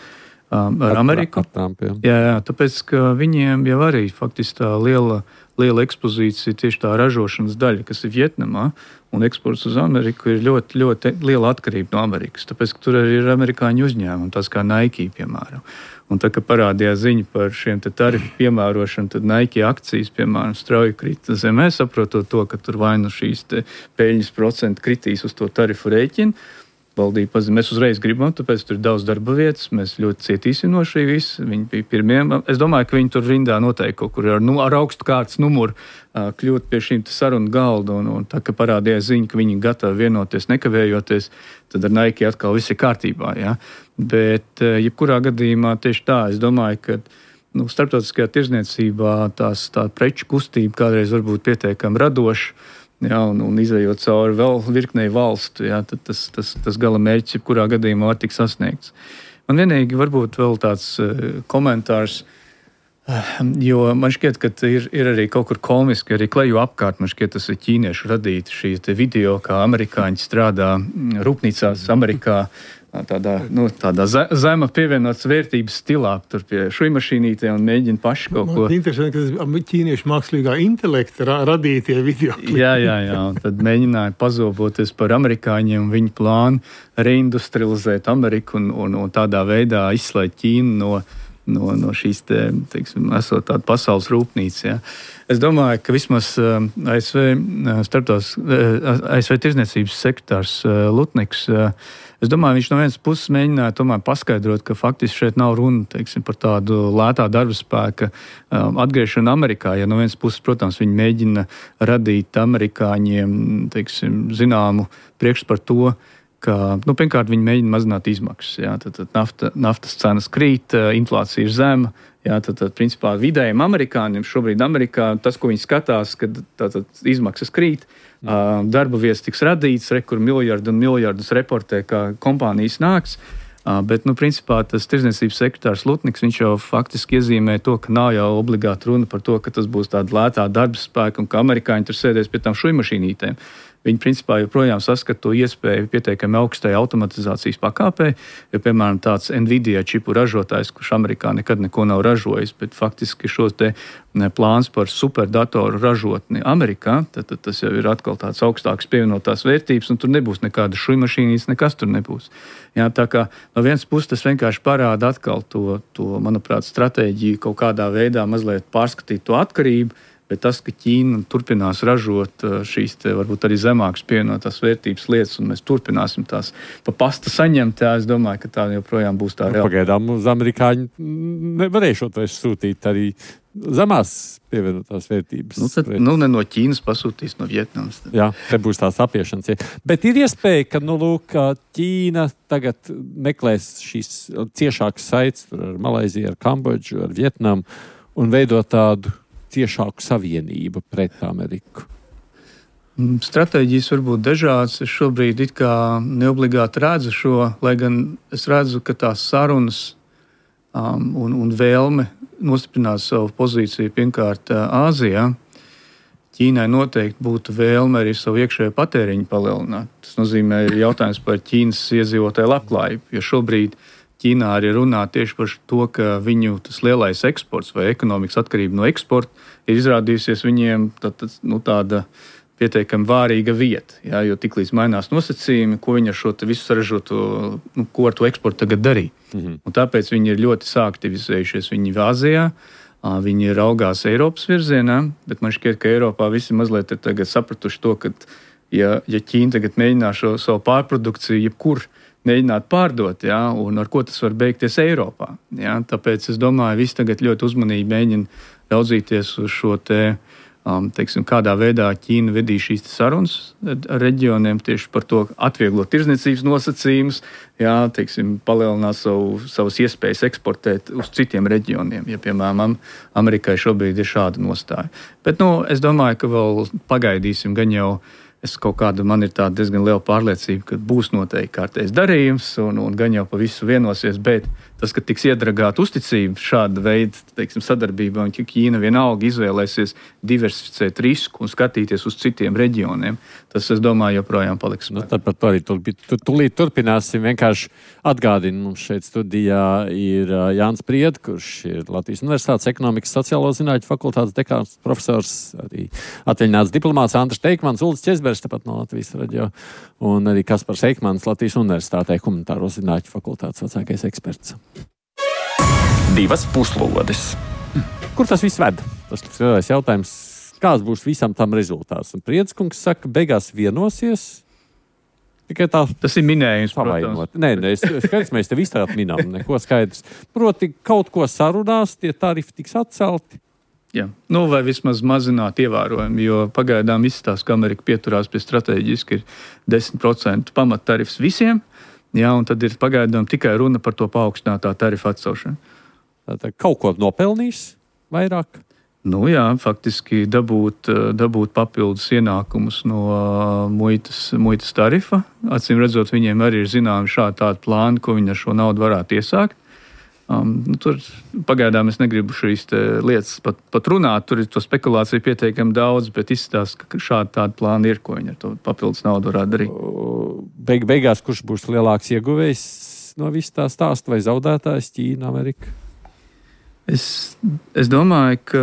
um, ar, ar Ameriku. Ar jā, jā, tāpēc, ka viņiem jau arī faktiski tā liela, liela ekspozīcija tieši tā ražošanas daļa, kas ir Vietnamā, un eksports uz Ameriku ir ļoti, ļoti liela atkarība no Amerikas, tāpēc, ka tur arī ir amerikāņu uzņēmumi, tas kā Nike, piemēram. Un tā, ka parādījās ziņa par šiem te tarifu piemērošanu, tad Nike akcijas, piemēram, strauji krita zemē, saprotot to, ka tur vai nu šīs te peļņas procenti kritīs uz to tarifu rēķinu, valdība pazīst. Mēs uzreiz gribam, tāpēc tur ir daudz darba vietas, mēs ļoti cietīsim no šī visa. Viņi bija pirmie. Es domāju, ka viņi tur rindā noteikti kaut kur ar, nu, ar augstu kārtas numuru uh, kļūt pie šīm sarunu galda, un, un tā, ka parādījās ziņa, ka viņi gatavi vienoties, nekavējoties, tad ar Nike atkal viss ir kārtībā, ja? Bet, uh, jebkurā gadījumā tieši tā, es domāju, ka nu, starptautiskajā tirzniecībā tās tā preču kustība kādreiz varbūt pietiekami radoša, ja, un, un izējot cauri vēl virknei valstu, ja, tad tas, tas, tas gala mērķis jebkurā gadījumā var tikt sasniegts. Man vienīgi varbūt vēl tāds uh, komentārs, uh, jo man šķiet, ka ir, ir arī kaut kur komiski, arī kleju apkārt, man šķiet, tas ir ķīniešu radīti šī te video, kā amerikāņi strādā rūpnīcās Amerikā, tādā, nu, tādā zema pievienotas vērtības stilā, tur pie šujmašīnītē un mēģina paši kaut ko. Man interesanti, ka tas ķīniešu mākslīgā intelekta ra radītie video klipi. Jā, jā, jā, un tad mēģināja pazoboties par amerikāņiem un viņu plānu reindustrializēt Ameriku un, un, un tādā veidā izslēgt Ķīnu no, no, no šīs te, teiksim, esot tāda pasaules rūpnīca, jā. Es domāju, ka vismaz A S V starptās, A S V tirzniecības sekretārs Lutniks, es domāju, viņš no vienas puses mēģināja tomēr paskaidrot, ka faktiski šeit nav runa, teiksim, par tādu lētā darba spēka atgriešanu Amerikā. Ja no vienas puses, protams, viņi mēģina radīt amerikāņiem, teiksim, zināmu priekšstatu par to, ka, nu, pirmkārt, viņi mēģina mazināt izmaksas. Jā, tad, tad nafta, naftas cenas krīt, inflācija ir zema. Jā, tad, tad, principā, vidējiem amerikāņiem šobrīd Amerikā tas, ko viņi skatās, kad tātad izmaksas krīt, uh, darba vietas tiks radīts, re, kur miljardu un miljardus reportē, kā kompānijas nāks. Uh, bet, nu, principā, tas tirdzniecības sekretārs Lutniks, viņš jau faktiski iezīmē to, ka nav jau obligāti runa par to, ka tas būs tāda lētā darba spēka un ka amerikāņi tur sēdēs pie tām šujmašīnītēm. Viņi, principā, joprojām saskata to iespēju pietiekami augstai automatizācijas pakāpē, jo, piemēram, tāds Nvidia čipu ražotājs, kurš Amerikā nekad neko nav ražojis, bet faktiski šos te plāns par superdatoru ražotni Amerikā, tad, tad tas jau ir atkal tāds augstāks pievienotās vērtības, un tur nebūs nekāda šujmašīnīs, nekas tur nebūs. Jā, tā kā no vienas puses tas vienkārši parāda atkal to, to, manuprāt, stratēģiju kaut kādā veidā mazliet pārskatīt to atkarību, bet tas, ka Ķīna turpinās ražot šīs te, varbūt arī zemākas pievienotās vērtības lietas, un mēs turpināsim tās pa pasta saņemt, tā es domāju, ka tā joprojām būs tā reāla. Pagaidām uz amerikāņu nevarēšot vairs sūtīt arī zemās pievienotās vērtības. Nu, tad, nu, ne no Ķīnas pasūtīs, no Vietnamas. Tad. Jā, te būs tās apiešanas. Bet ir iespēja, ka, nu, lūk, Ķīna tagad meklēs šīs ciešākas saites ar Malaiziju, ar Kambodžu, ar Vietnamu un veidot tādu ciešāku savienību pret Ameriku? Stratēģijas var būt dažādas. Es šobrīd it kā neobligāti redzu šo, lai gan es redzu, ka tās sarunas um, un, un vēlme nostiprināt savu pozīciju pirmkārt Āzijā. Ķīnai noteikti būtu vēlme arī savu iekšējo patēriņu palielināt. Tas nozīmē jautājums par Ķīnas iedzīvotāju labklājību, jo šobrīd Ķīnā arī runā tieši par to, ka viņu tas lielais eksports vai ekonomikas atkarība no eksporta ir izrādījusies viņiem tā, tā, nu, tāda pietiekami vārīga vieta. Jā, jo tiklīdz mainās nosacījumi, ko viņi ar šo visu sarežoto, nu, ko ar to eksportu tagad darīja. Mm-hmm. Un tāpēc viņi ir ļoti sāktivizējušies. Viņi ir Āzijā, viņi raugās Eiropas virzienā, bet man šķiet, ka Eiropā visi mazliet ir tagad sapratuši to, ka ja, ja Ķīna tagad mēģinās šo savu pārprodukciju jebkur mēģināt pārdot, jā, un ar ko tas var beigties Eiropā. Jā. Tāpēc es domāju, visi tagad ļoti uzmanīgi mēģina raudzīties uz šo te, um, teiksim, kādā veidā Ķīna vedīs šīs sarunas ar reģioniem tieši par to atvieglot tirdzniecības nosacījumus, jā, teiksim, palielināt savu, savas iespējas eksportēt uz citiem reģioniem, ja, piemēram, Amerikai šobrīd ir šāda nostāja. Bet, nu, es domāju, ka vēl pagaidīsim gan jau. Es kaut kāda, man ir tāda diezgan liela pārliecība, ka būs noteikti kārtējs darījums un, un gan jau pa visu vienosies, bet tas, ka tiks iedragāta uzticība šāda veida, teiksim, sadarbībā, un Ķīna vienalga izvēlēsies diversificēt risku un skatīties uz citiem reģioniem, tas, es domāju, joprojām paliks. Nu, tad par to arī tūlīt, tūlīt turpināsim. Vienkārši atgādinu, mums šeit studijā ir Jānis Prieda, kurš ir Latvijas Universitātes ekonomikas sociālo zinātņu fakultātes dekāns profesors, arī atvaļināts diplomāts Andris Teikmans, Uldis Česbergs, tāpat no Latvijas radio, un arī Kaspars Eikmans, Latvijas Universitātē humanitāro zinātņu fakultātes vecākais eksperts. Divas puslodes. Kur tas viss ved? Tas ir lielais jautājums. Kāds būs visam tam rezultāts? Un Priedskungs saka, beigās vienosies, Tikai tā. Tas ir minējums, protams. Nē, nē, skaidrs, mēs te visādi minām, neko skaidrs. Proti, kaut ko sarunās, tie tarifi tiks atcelti. Jā, nu vai vismaz mazināt ievērojami, jo pagaidām izstāsta, ka Amerika pieturās pie strateģiski ir desmit procentu pamattarifs visiem, jā, un tad ir pagaidām tikai runa par to paaugstinātā tarifa atcelšanu. Tātad kaut ko nopelnīs vairāk? Nu jā, faktiski dabūt, dabūt papildus ienākumus no muitas, muitas tarifa. Acīm redzot, viņiem arī ir zināmi šādi tādi plāni, ko viņi ar šo naudu varētu iesākt. Um, nu, tur pagaidām es negribu šīs lietas pat, pat runāt, tur ir to spekulāciju pietiekami daudz, bet izstāsta, ka šādi tādi plāni ir, ko viņi ar to papildus naudu varētu darīt. Beig, beigās, kurš būs lielāks ieguvējs no viss tā stāsta, vai zaudētājs Ķīna, Amerika? Es, es domāju, ka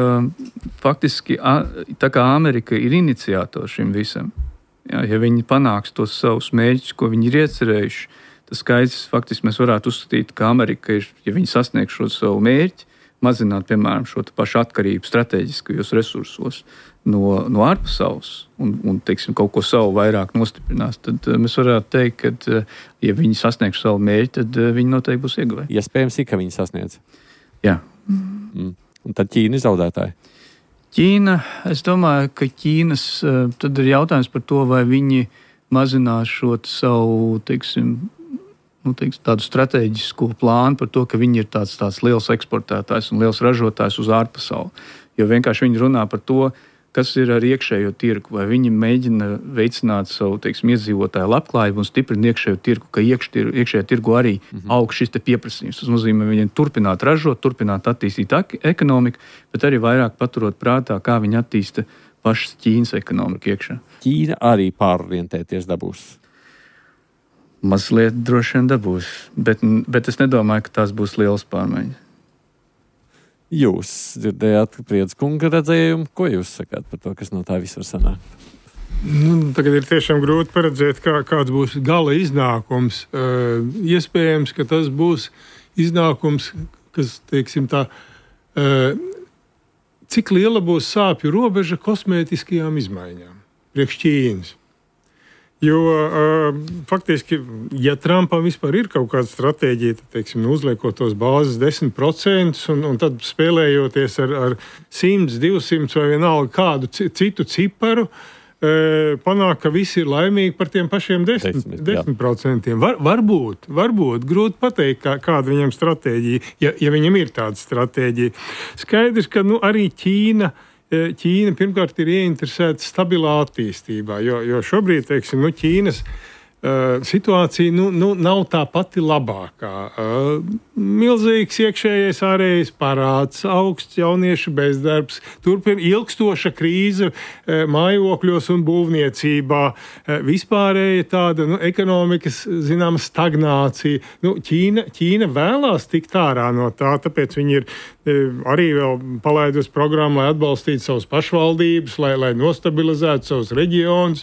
faktiski tā kā Amerika ir iniciators šim visam, jā, ja viņi panāks tos savus mērķus, ko viņi ir iecerējuši, tas skaidrs faktiski mēs varētu uzskatīt, ka Amerika ir, ja viņi sasniegs šo savu mērķi, mazināt, piemēram, šo pašu atkarību strateģiskajos resursos no, no ārpasaules un, un teiksim, kaut ko savu vairāk nostiprinās, tad mēs varētu teikt, ka, ja viņi sasniegs savu mērķi, tad viņi noteikti būs ieguvēji. Iespējams, ja, ka viņi sasniedz. Jā. Mm. Un tad Ķīna ir zaudētāji? Ķīna, es domāju, ka Ķīnas, tad ir jautājums par to, vai viņi mazinās šo savu, teiksim, nu, teiksim, tādu strateģisko plānu par to, ka viņi ir tāds, tāds liels eksportētājs un liels ražotājs uz ārpasauli. Jo vienkārši viņi runā par to, kas ir ar iekšējo tirgu, vai viņi mēģina veicināt savu, teiksim, iedzīvotāju labklājību un stiprina iekšējo tirgu, ka iekšķir, iekšējā tirgu arī mm-hmm. aug šis te pieprasījums. Tas nozīmē, viņiem turpināt ražot, turpināt attīstīt ekonomiku, bet arī vairāk paturot prātā, kā viņi attīsta pašas Ķīnas ekonomiku iekšā. Ķīna arī pārorientēties dabūs? Mazliet droši vien dabūs, bet, bet es nedomāju, ka tās būs lielas pārmaiņas. Jūs dzirdējāt Priedz-kunga redzējumu. Ko jūs sakāt par to, kas no tā viss var sanākt? Nu, tagad ir tiešām grūti paredzēt, kā, kāds būs gala iznākums. Uh, iespējams, ka tas būs iznākums, kas, teiksim tā, uh, cik liela būs sāpju robeža kosmētiskajām izmaiņām priekš Ķīnas. Jo uh, faktiski, ja Trumpam vispār ir kaut kāda stratēģija, tad, teiksim, uzliekot tos bāzes desmit procentus un, un tad spēlējoties ar, ar simt, divsimt vai vienalga kādu citu ciparu, uh, panāk, ka visi ir laimīgi par tiem pašiem desmit procentiem. Var, varbūt, varbūt, grūti pateikt, kā, kāda viņam stratēģija, ja, ja viņam ir tāda stratēģija. Skaidrs, ka nu, arī Ķīna Ķīna pirmkārt ir ieinteresēta stabilā attīstībā, jo, jo šobrīd, teiksim, nu, Ķīnas uh, situācija nu, nu, nav tā pati labākā. Uh, milzīgs iekšējais ārējais parāds, augsts jauniešu bezdarbs, turpin ilgstoša krīze uh, mājokļos un būvniecībā, uh, vispārēja tāda nu, ekonomikas, zināma, stagnācija. Nu, Ķīna, Ķīna vēlās tikt ārā no tā, tāpēc viņi ir arī vēl palaidusi programmu, lai atbalstītu savas pašvaldības, lai, lai nostabilizētu savus reģionus.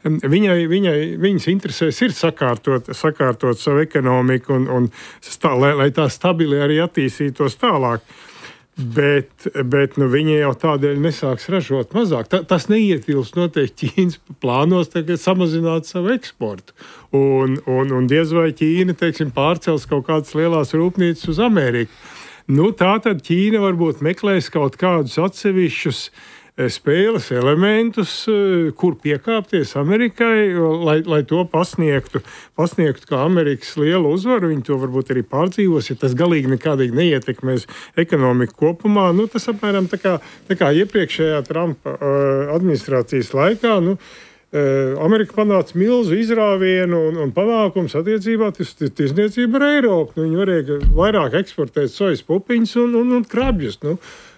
Viņai, viņai, viņas interesēs ir sakārtot, sakārtot savu ekonomiku un, un stā, lai, lai tā stabili arī attīstītos tālāk. Bet, bet nu, viņi jau tādēļ nesāks ražot mazāk. Ta, tas neietilpst noteikti Ķīnas plānos tagad samazināt savu eksportu. Un, un, un diez vai Ķīna, teiksim, pārcels kaut kādas lielās rūpnīcas uz Ameriku. Nu, tā tad Ķīna varbūt meklēs kaut kādus atsevišķus spēles elementus, kur piekāpties Amerikai, lai, lai to pasniegtu, pasniegtu kā Amerikas lielu uzvaru. Viņi to varbūt arī pārdzīvos, ja tas galīgi nekādīgi neietekmēs ekonomiku kopumā. Nu, tas apmēram tā kā, tā kā iepriekšējā Trumpa administrācijas laikā, nu, Amerika panāca milzu izrāvienu un, un panākums attiecībā uz tirdzniecību ar Eiropu. Nu, viņi varēja vairāk eksportēt sojas pupiņas un, un, un krabjus. Nu,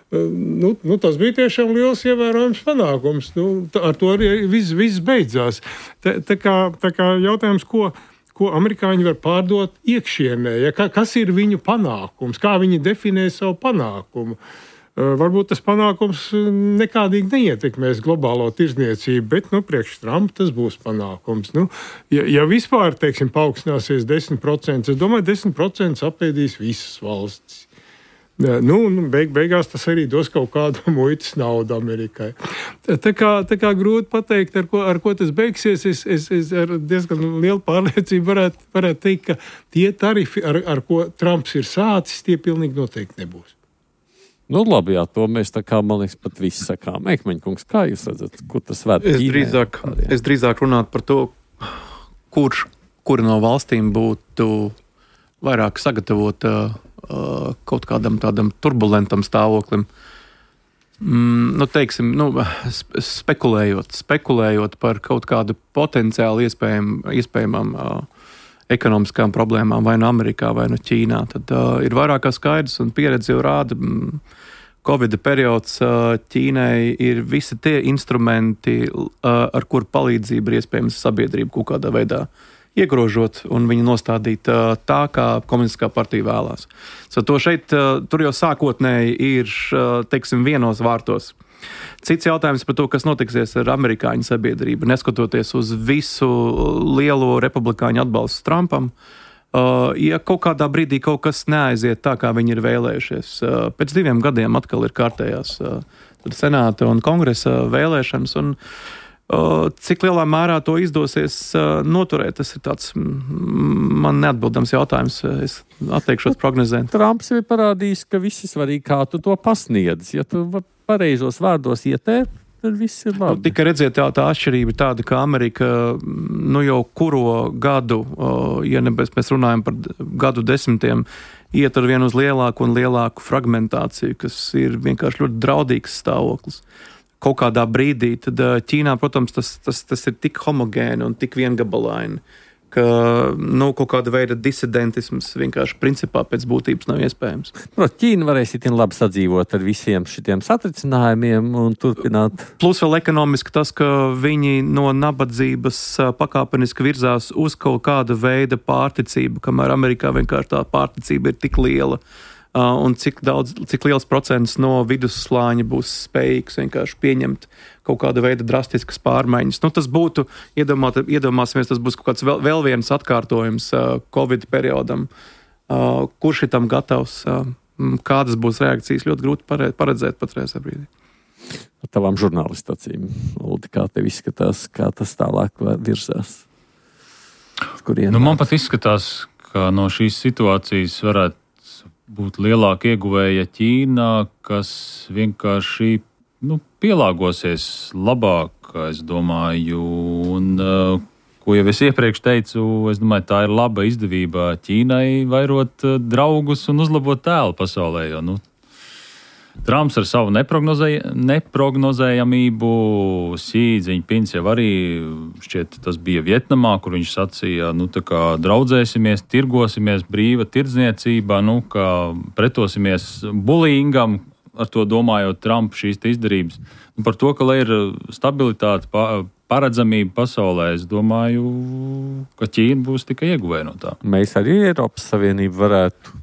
nu, nu, tas bija tiešām liels ievērojams panākums. Nu, tā, ar to arī viss, viss beidzās. Tā, tā, kā, tā kā jautājums, ko, ko amerikāņi var pārdot iekšienē, ja, kas ir viņu panākums, kā viņi definē savu panākumu. Varbūt tas panākums nekādīgi neietekmēs globālo tirdzniecību, bet nu, priekš Trumpa tas būs panākums. Nu, ja, ja vispār, teiksim, paaugstināsies desmit procenti, es domāju, desmit procenti apēdīs visas valstis. Nu, nu, beig, beigās tas arī dos kaut kādu muitas naudu Amerikai. Tā kā, tā kā grūti pateikt, ar ko, ar ko tas beigsies. Es, es, es ar diezgan lielu pārliecību varētu, varētu teikt, ka tie tarifi, ar, ar ko Trumps ir sācis, tie pilnīgi noteikti nebūs. Nu, labi, jā, to mēs tā kā, man liekas, pat visi sakām. Ekmeņkungs, kā jūs redzat, kur tas ved? Es drīzāk, es drīzāk runātu par to, kurš, kura no valstīm būtu vairāk sagatavota uh, kaut kādam tādam turbulentam stāvoklim. Mm, nu, teiksim, nu, spekulējot, spekulējot par kaut kādu potenciāli iespējam, iespējamām uh, ekonomiskām problēmām vai no Amerikā, vai no Ķīnā, tad uh, ir vairāk kā skaidrs un pieredze jau rāda, mm, Covida periods uh, Ķīnai ir visi tie instrumenti, uh, ar kur palīdzību ir iespējams sabiedrību kaut kādā veidā iegrožot un viņu nostādīt uh, tā, kā komunistiskā partija vēlās. So, to šeit, uh, tur jau sākotnēji ir, uh, teiksim, vienos vārtos. Cits jautājums par to, kas notiksies ar amerikāņu sabiedrību, neskatoties uz visu lielo republikāņu atbalstu Trumpam. Uh, ja kaut kādā brīdī kaut kas neaiziet tā, kā viņi ir vēlējušies, uh, pēc diviem gadiem atkal ir kārtējās uh, senāta un kongresa vēlēšanas, un uh, cik lielā mērā to izdosies uh, noturēt, tas ir tāds mm, man neatbildams jautājums. Es atteikšos prognozēt. Trumps ir parādījis, ka viss ir svarīgi, kā tu to pasniedz. Ja tu pareizos vārdos ietēr, tad viss ir labi. Nu, tika redzēt, tā, tā atšķirība tāda, ka Amerika nu jau kuro gadu, ja ne, mēs runājam par gadu desmitiem, iet ar vienu uz lielāku un lielāku fragmentāciju, kas ir vienkārši ļoti draudīgs stāvoklis. Kaut kādā brīdī, tad Ķīnā, protams, tas, tas, tas ir tik homogēni un tik viengabalaini, ka nu, kaut kāda veida disidentisms vienkārši principā pēc būtības nav iespējams. Protams, Ķīna varēs itin labi sadzīvot ar visiem šitiem satricinājumiem un turpināt. Plus vēl ekonomiski tas, ka viņi no nabadzības pakāpeniski virzās uz kaut kāda veida pārticību, kamēr Amerikā vienkārši tā pārticība ir tik liela. Un cik, daudz, cik liels procents no vidusslāņa būs spējīgs vienkārši pieņemt kaut kāda veida drastiskas pārmaiņas. Nu, tas būtu, iedomāt, iedomāsimies, tas būs kaut kāds vēl, vēl viens atkārtojums uh, Covid periodam. Uh, kurš ir tam gatavs? Uh, kādas būs reakcijas? Ļoti grūti paredzēt patreiz brīdī. Ar tavām žurnālistacīm, Uldi, kā tev izskatās, kā tas tālāk virzās? Nu, man pat izskatās, ka no šīs situācijas varētu būt lielāka ieguvēja Ķīnā, kas vienkārši nu, pielāgosies labāk, es domāju, un uh, ko jau es iepriekš teicu, es domāju, tā ir laba izdevība Ķīnai vairot uh, draugus un uzlabot tēlu pasaulē, jo, nu, Trumps ar savu neprognozēj, neprognozējamību, Xi Jinpings jau arī šķiet, tas bija Vietnamā, kur viņš sacīja, nu, tā kā draudzēsimies, tirgosimies, brīva tirdzniecība, nu, kā pretosimies bullyingam, ar to domājot Trump šīs izdarības. Nu, par to, ka, lai ir stabilitāte, paredzamība pasaulē, es domāju, ka Ķīna būs tikai ieguvēja no tā. Mēs arī Eiropas Savienību varētu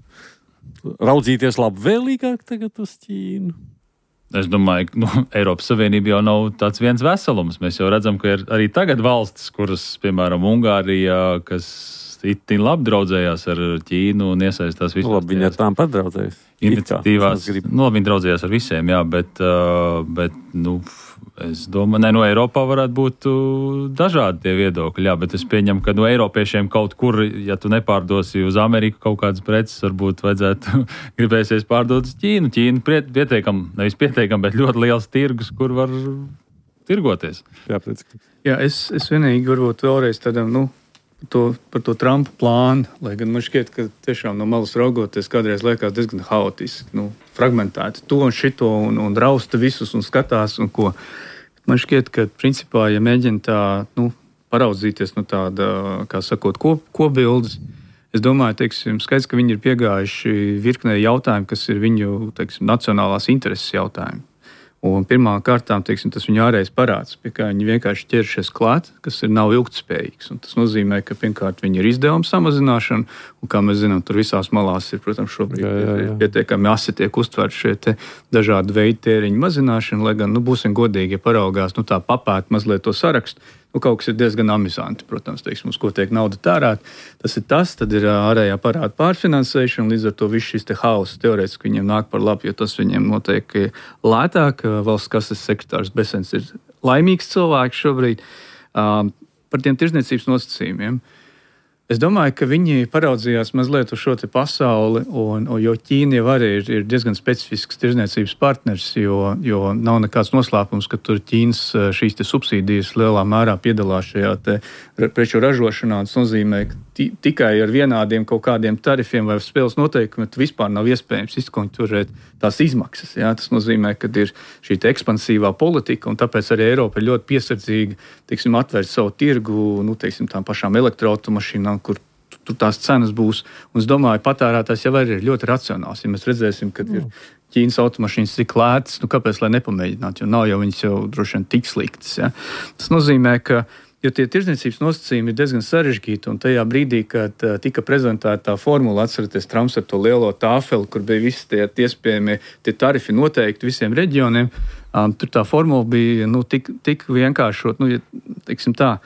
raudzīties labvēlīgāk tagad uz Ķīnu? Es domāju, ka nu, Eiropas Savienība jau nav tāds viens veselums. Mēs jau redzam, ka ir arī tagad valstis, kuras, piemēram, Ungārija, kas itin labi draudzējās ar Ķīnu un iesaistās visās. Labi, viņi ar tām padraudzējas. Iniciatīvās. Nu, viņi draudzējās ar visiem, jā, bet, bet nu, es domāju, ne, no Eiropā varētu būt dažādi tie viedokļi, jā, bet es pieņemu, ka no Eiropiešiem kaut kur, ja tu nepārdosi uz Ameriku kaut kādas preces, varbūt vajadzētu gribēsies pārdot uz Ķīnu. Ķīna pietiekam, nevis pietiekam, bet ļoti liels tirgus, kur var tirgoties. Jā, pēc. Jā, es, es vienīgi varbūt vēlreiz tādam, nu, To, par to Trumpa plānu, lai gan man šķiet, ka tiešām no malas raugoties kādreiz liekas diezgan haotiski, nu, fragmentēti to un šito un, un rausta visus un skatās un ko. Man šķiet, ka principā, ja mēģina tā, nu, paraudzīties no tāda, kā sakot, kop, kopbildes, es domāju, teiksim, skaidrs, ka viņi ir piegājuši virknē jautājumu, kas ir viņu, teiksim, nacionālās intereses jautājumi. Un pirmā kārtām, teiksim, tas viņa ārējais parāds, pie kā viņi vienkārši ķeršies klāt, kas ir nav ilgtspējīgs. Un tas nozīmē, ka pirmkārt viņi ir izdevuma samazināšana, un kā mēs zinām, tur visās malās ir, protams, šobrīd jā, jā, jā. pietiekami asi tiek uztverti šie te dažādi veidi tēriņu mazināšana, lai gan, nu, būsim godīgi, ja paraugās, nu, tā papēt mazliet to sarakstu, nu, kaut kas ir diezgan amizanti, protams, teiksim, uz ko tiek nauda tērēt. Tas ir tas, tad ir ārējā parāda pārfinansēšana, līdz ar to viss šis te hauss teorētiski viņiem nāk par labu, jo tas viņiem noteikti lētāk. Valsts kases sekretārs Besens ir laimīgs cilvēks šobrīd. Um, par tiem tirdzniecības nosacījumiem. Es domāju, ka viņi paraudzījās mazliet uz šo te pasauli, un, un, jo Ķīna jau arī ir, ir diezgan specifisks tirdzniecības partners, jo, jo nav nekāds noslēpums, ka tur Ķīnas šīs te subsīdijas lielā mērā piedalās šajā te preču ražošanā. Tas nozīmē, ka t- tikai ar vienādiem kaut kādiem tarifiem vai spēles noteikumiem vispār nav iespējams izkonkurēt tās izmaksas. Jā? Tas nozīmē, ka ir šī te ekspansīvā politika, un tāpēc arī Eiropa ir ļoti piesardzīga, teiksim, atvērt savu tirgu, nu, teiksim, tām pašām elektroautomašīnām, kur tur tās cenas būs. Un es domāju, patērētājs jau arī ir ļoti racionāls. Ja mēs redzēsim, ka ir Ķīnas automašīnas tik lētas, nu kāpēc lai nepamēģināt, jo nav jau viņas jau droši vien tik sliktas. Ja? Tas nozīmē, ka jo tie tirdzniecības nosacījumi ir diezgan sarežģīti, un tajā brīdī, kad uh, tika prezentēta tā formula, atceraties Trumps ar to lielo tāfeli, kur bija visi tie iespējamie tie tarifi noteikti visiem reģioniem, um, tur tā formula bija nu, tik, tik vienkāršot, nu, ja, teiksim tā,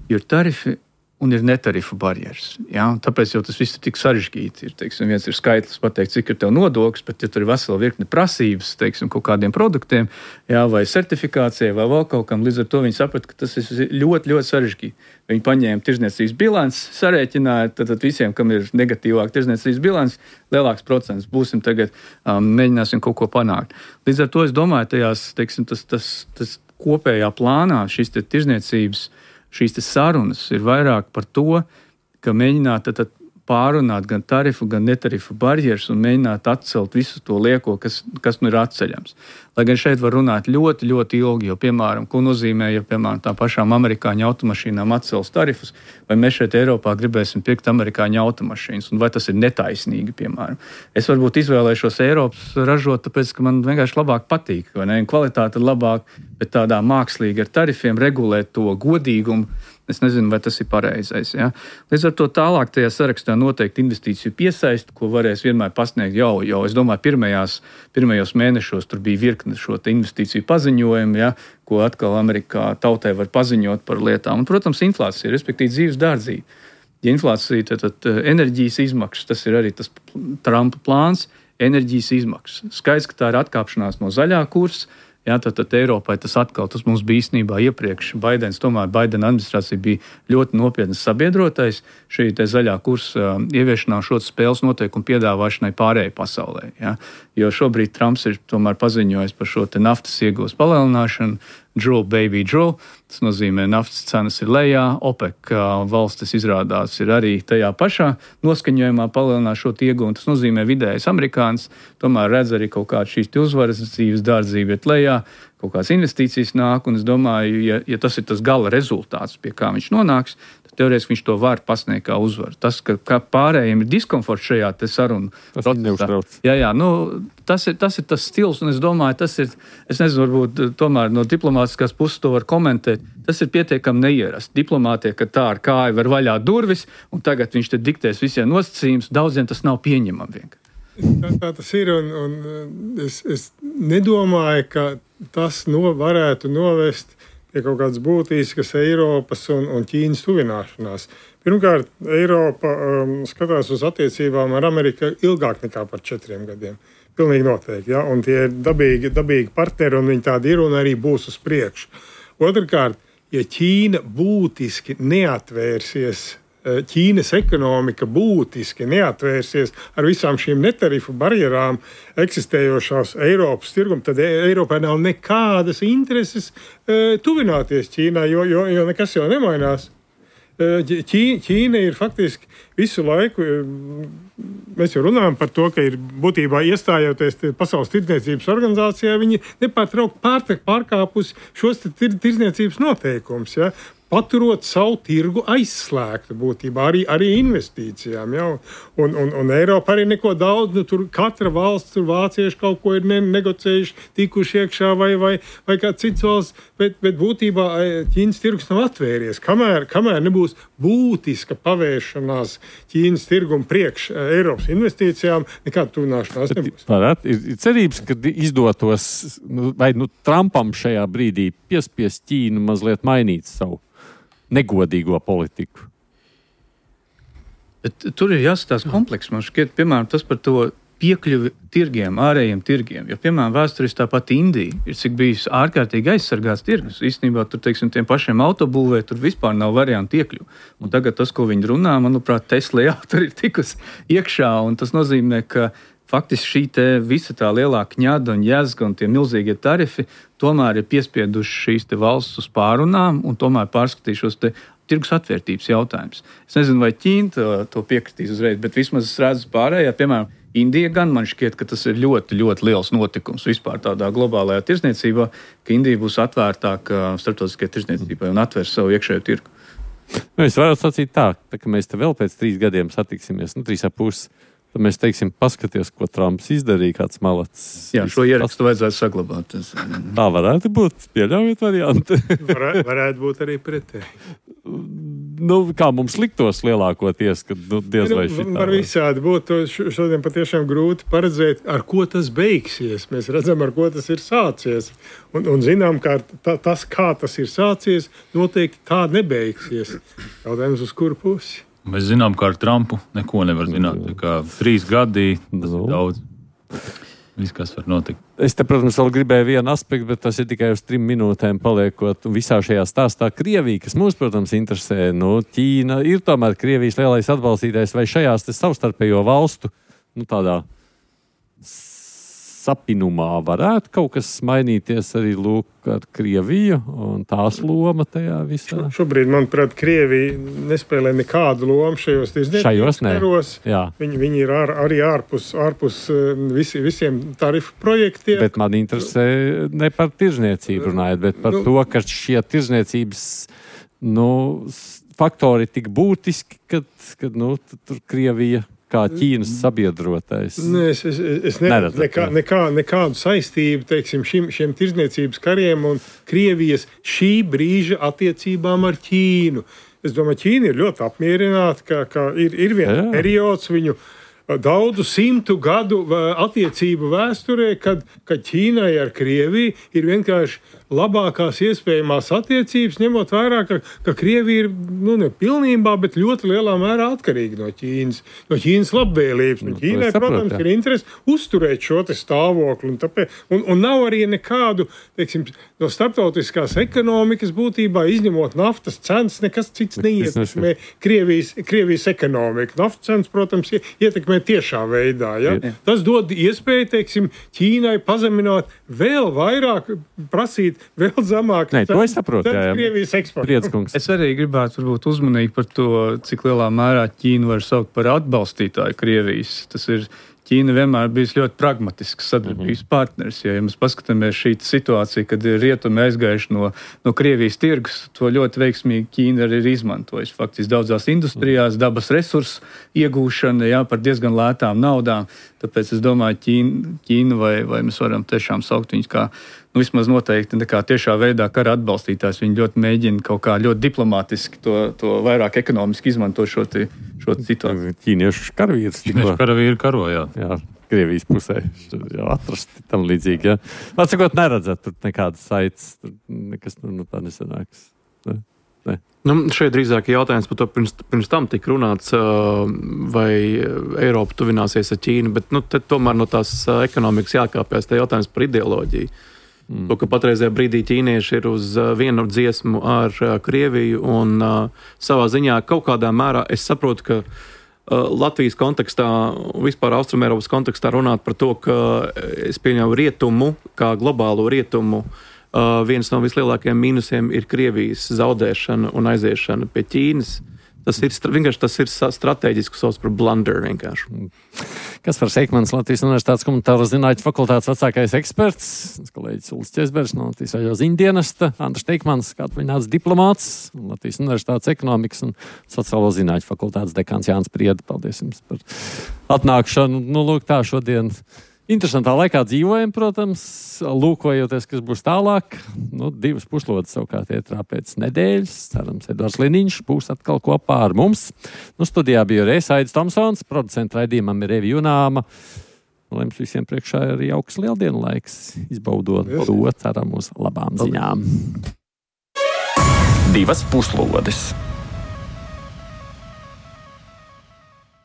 jo tarifi un ir netarifu barjeras. Ja? Tāpēc jau tas viss ir tik sarežģīti. Ir, teiksim, viens ir skaitlis pateikt, cik ir tev nodoklis, bet ja tur ir vesela virkne prasības, teiksim, kaut kādiem produktiem, ja? Vai certifikācijai, vai vēl kaut kam, līdz ar to viņi saprata, ka tas ir ļoti, ļoti sarežģīti. Viņi paņēma tirdzniecības bilanci, sarēķināja, tad, tad visiem, kam ir negatīvāk tirdzniecības bilanci, lielāks procents. Būsim tagad, um, mēģināsim kaut ko panākt. Līdz ar to es domāju, tajās, teiksim, tas, tas, tas kopējā plānā šīs te tirdzniecības šīs sarunas ir vairāk par to, ka mēģināt tad, tad pārunāt gan tarifu, gan netarifu barjeras un mēģināt atcelt visu to lieko, kas, kas nu ir atceļams. Lai gan šeit var runāt ļoti, ļoti ilgi, jo, piemēram, ko nozīmē, ja, piemēram, tā pašām amerikāņu automašīnām atcels tarifus, vai mēs šeit Eiropā gribēsim pirkt amerikāņu automašīnas, un vai tas ir netaisnīgi, piemēram. Es varbūt izvēlēšos Eiropas ražot, tāpēc, ka man vienkārši labāk patīk, vai ne, kvalitāte ir labāk, bet tādā mākslīgi ar tarifiem regulēt to godīgumu. Es nezinu, vai tas ir pareizais. Ja? Līdz ar to tālāk tajā sarakstā noteikti investīciju piesaisti, ko varēs vienmēr pasniegt jau, jau es domāju, pirmajās, pirmajos mēnešos tur bija virkne šo investīciju paziņojumu, ja? Ko atkal Amerikā tautai var paziņot par lietām. Un, protams, inflācija, respektīvi dzīves dārdzība. Ja inflācija, tad, tad enerģijas izmaksas, tas ir arī tas Trumpa plāns, enerģijas izmaksas. Skaidrs, ka tā ir atkāpšanās no zaļā kursa. Jā, tad, tad Eiropai tas atkal, tas mums bija īstenībā iepriekš. Baidens, tomēr Baidena administrācija bija ļoti nopietnas sabiedrotais šī te zaļā kursa ieviešanā šo spēles noteikumu piedāvāšanai pārējai pasaulē. Jā. Jo šobrīd Trumps ir tomēr paziņojis par šo te naftas iegūs palielināšanu, drill, baby, drill. Tas nozīmē, naftas cenas ir lejā, OPEC valstis izrādās ir arī tajā pašā noskaņojumā palielināt šo iegūmu. Tas nozīmē, vidējais amerikānis tomēr redz arī kaut kādu šīs uzvaras, dzīves dārdzību iet lejā, kaut kādas investīcijas nāk, un es domāju, ja, ja tas ir tas gala rezultāts, pie kā viņš nonāks, tad teorētiski viņš to var pasniegt kā uzvaru. Tas, ka, ka pārējiem ir diskomforts šajā te sarunu procesā. Jā, jā, nu, tas ir, tas ir tas stils, un es domāju, tas ir, es nezinu, varbūt tomēr no diplomātiskās puses to var komentēt, tas ir pietiekami neierast. Diplomātie, ka tā ar kāju var vaļā durvis, un tagad viņš te diktēs visiem nosacījumus, daudziem tas nav pieņemami vienkārši. Tā, tā tas ir, un, un es, es nedomāju, ka tas no, varētu novest pie kaut kādas būtiskas Eiropas un, un Ķīnas tuvināšanās. Pirmkārt, Eiropa um, skatās uz attiecībām ar Ameriku ilgāk nekā par četriem gadiem. Pilnīgi noteikti, ja? Un tie ir dabīgi, dabīgi partneri, un viņi tādi ir un arī būs uz priekšu. Otrkārt, ja Ķīna būtiski neatvērsies, Ķīnas ekonomika būtiski neatvērsies ar visām šīm netarifu barjerām eksistējošās Eiropas tirgum, tad Eiropai nav nekādas intereses tuvināties Ķīnai, jo, jo, jo nekas jau nemainās. Ķī, Ķīna ir faktiski visu laiku, mēs jau runājam par to, ka ir būtībā iestājoties Pasaules tirdzniecības organizācijā, viņi nepārtraukti pārkāpusi šos tir, tirdzniecības noteikumus, ja? Paturot savu tirgu aizslēgtu būtībā arī, arī investīcijām. Ja? Un, un, un Eiropa arī neko daudz, nu tur katra valsts, tur vācieši kaut ko ir ne, negocējuši, tikuši iekšā vai, vai, vai kā cits valsts, bet, bet būtībā Ķīnas tirgus nav atvērties. Kamēr, kamēr nebūs būtiska pavēršanās Ķīnas tirgumu priekš Eiropas investīcijām, nekāda tuvināšanās nebūs. Varētu, ir, ir cerības, ka izdotos, vai nu, Trumpam šajā brīdī piespiest Ķīnu mazliet mainīt savu negodīgo politiku? Bet tur ir jāskatās kompleks. Man šķiet, piemēram, tas par to piekļuvi tirgiem, ārējiem tirgiem. Jo, piemēram, vēsturiski tāpat Indija ir cik bijis ārkārtīgi aizsargāts tirgus. Īstenībā tur, teiksim, tiem pašiem autobūvē tur vispār nav variantu iekļuvu. Un tagad tas, ko viņi runā, manuprāt, Tesla jā, tur ir tikus iekšā, un tas nozīmē, ka faktiski šī te visa tā lielā kņada un jēzga un tie milzīgie tarifi tomēr ir piespieduši šīs te valsts uz pārunām un tomēr pārskatīšos te tirgus atvērtības jautājums. Es nezinu, vai Ķīna to, to piekritīs uzreiz, bet vismaz es redzu pārējā, piemēram, Indija gan man šķiet, ka tas ir ļoti, ļoti liels notikums vispār tādā globālajā tirzniecībā, ka Indija būs atvērtāka starptautiskajai tirzniecībai un atvērs savu iekšējo tirgu. Nu, es varu sacīt tā, tā, ka mēs te vēl pēc trīs gadiem satiksimies, nu, trīs ap pusi. Tad mēs teiksim, paskaties, ko Trumps izdarīja, kāds malacis. Jā, šo ierakstu vajadzētu saglabāt. Tā varētu būt, pieļaujiet varianti. Varētu, varētu būt arī pretēji. Nu, kā mums liktos lielākoties, kad nu, diez vai šitā. Var visādi būt. Šodien patiešām grūti paredzēt, ar ko tas beigsies. Mēs redzam, ar ko tas ir sācies. Un, un zinām, ka tā, tas, kā tas ir sācies, noteikti tā nebeigsies. Jautājums uz kuru pusi? Mēs zinām, ka ar Trumpu neko nevar zināt. Tā kā trīs gadi, tas ir daudz. Viss, kas var notikt. Es te, protams, vēl gribēju vienu aspektu, bet tas ir tikai uz trim minūtēm paliekot visā šajā stāstā. Krievija, kas mūs, protams, interesē, nu, Ķīna ir tomēr Krievijas lielais atbalstītājs, vai šajās te savstarpējo valstu, nu, tādā sapinumā varētu kaut kas mainīties arī lūk ar Krieviju un tās loma tajā visā? Šobrīd, manuprāt, Krievija nespēlē nekādu lomu šajos tirzniecības karos. Viņi, viņi ir ar, arī ārpus, ārpus visi, visiem tarifu projektiem. Bet man interesē ne par tirzniecību runājot, bet par nu, to, ka šie tirzniecības nu, faktori tik būtiski, kad, kad nu, tur Krievija kā Ķīnas sabiedrotais. Ne, es es, es neredzu nekā, nekā, nekādu saistību teiksim, šim, šiem tirzniecības kariem un Krievijas šī brīža attiecībām ar Ķīnu. Es domāju, Ķīna ir ļoti apmierināta, ka, ka ir, ir viens periods viņu daudzu simtu gadu attiecību vēsturē, kad, kad Ķīnai ar Krieviju ir vienkārši labākās iespējamās attiecības, ņemot vērā, ka, ka Krievija ir nu, ne pilnībā, bet ļoti lielā mērā atkarīga no Ķīnas, no Ķīnas labvēlības. Un Ķīnai, protams, ir interesi uzturēt šo te stāvokli. Un, tāpēc, un, un nav arī nekādu, teiksim, no starptautiskās ekonomikas būtībā, izņemot naftas cenas, nekas cits neietekmē Krievijas, Krievijas ekonomiku. Naftas cenas, protams, ietekmē tiešā veidā. Ja? Tas dod iespēju, teiksim, Ķīnai pazemināt vēl vairāk, prasīt vēl zemāk. Nē, to es saprotu, jā, jā. Es arī gribētu varbūt uzmanīgi par to, cik lielā mērā Ķīnu var saukt par atbalstītāju Krievijas. Tas ir Ķīna vienmēr bijis ļoti pragmatisks sadarbības mm-hmm. partners. Ja, ja mēs paskatāmies šī situācija, kad rietumi aizgājuši no, no Krievijas tirgus, to ļoti veiksmīgi Ķīna arī ir izmantojusi. Faktiski daudzās industrijās, dabas resursu iegūšana, jā, par diezgan lētām naudām. Tāpēc es domāju, Ķīna, Ķīna vai, vai mēs varam tiešām saukt viņus kā, nu vismaz noteikti nekā tiešā veidā kara atbalstītājs. Viņi ļoti mēģina kaut kā ļoti diplomātiski to, to vairāk ekonomiski izmantot šo, te, šo situāciju. Ķīniešu karavīrs. Ķīniešu karavīri karojā. Jā, Krievijas pusē jau atrasti tam līdzīgi. Jā. Atsakot, neredzat tur nekādas saites, tur nekas tur nu tā nesanāks. Ne? Ne. Nu, šeit drīzāk jautājums par to, pirms, pirms tam tika runāts, vai Eiropa tuvināsies ar Ķīnu, bet nu, tomēr no tās ekonomikas jākāpjas, tā jautājums par ideoloģiju. Mm. To, ka patreizajā brīdī ķīnieši ir uz vienu dziesmu ar Krieviju un uh, savā ziņā kaut kādā mērā es saprotu, ka uh, Latvijas kontekstā, vispār Austrumēropas kontekstā runāt par to, ka es pieņemu rietumu, kā globālo rietumu, uh, viens no vislielākajiem mīnusiem ir Krievijas zaudēšana un aiziešana pie Ķīnas. Tas ir vienkārši tas ir strateģiski sauc par blunder vienkārši. Kaspars Eikmans, Latvijas Universitātes komunitāro zinātņu fakultātes vecākais eksperts, kolēģis Ulis Česbergs no Latvijas radio ziņdienesta, Andris Teikmans, kā atvaļināts diplomāts, Latvijas Universitātes ekonomikas un sociālo zinātņu fakultātes dekāns Jānis Prieda. Paldies jums par atnākšanu. Nu, lūk, tā šodien interesantā laikā dzīvojam, protams, lūkojoties, kas būs tālāk. Nu, divas puslodes savukārt ietrā pēc nedēļas. Cerams, Edvards Liniņš būs atkal kopā ar mums. Nu, studijā bija arī Aidis Tomsons, producenta raidījumam ir Evi Junāma. Lai jums visiem priekšā ir jauks lieldienu laiks, izbaudot to, ceram uz labām ziņām. divas puslodes.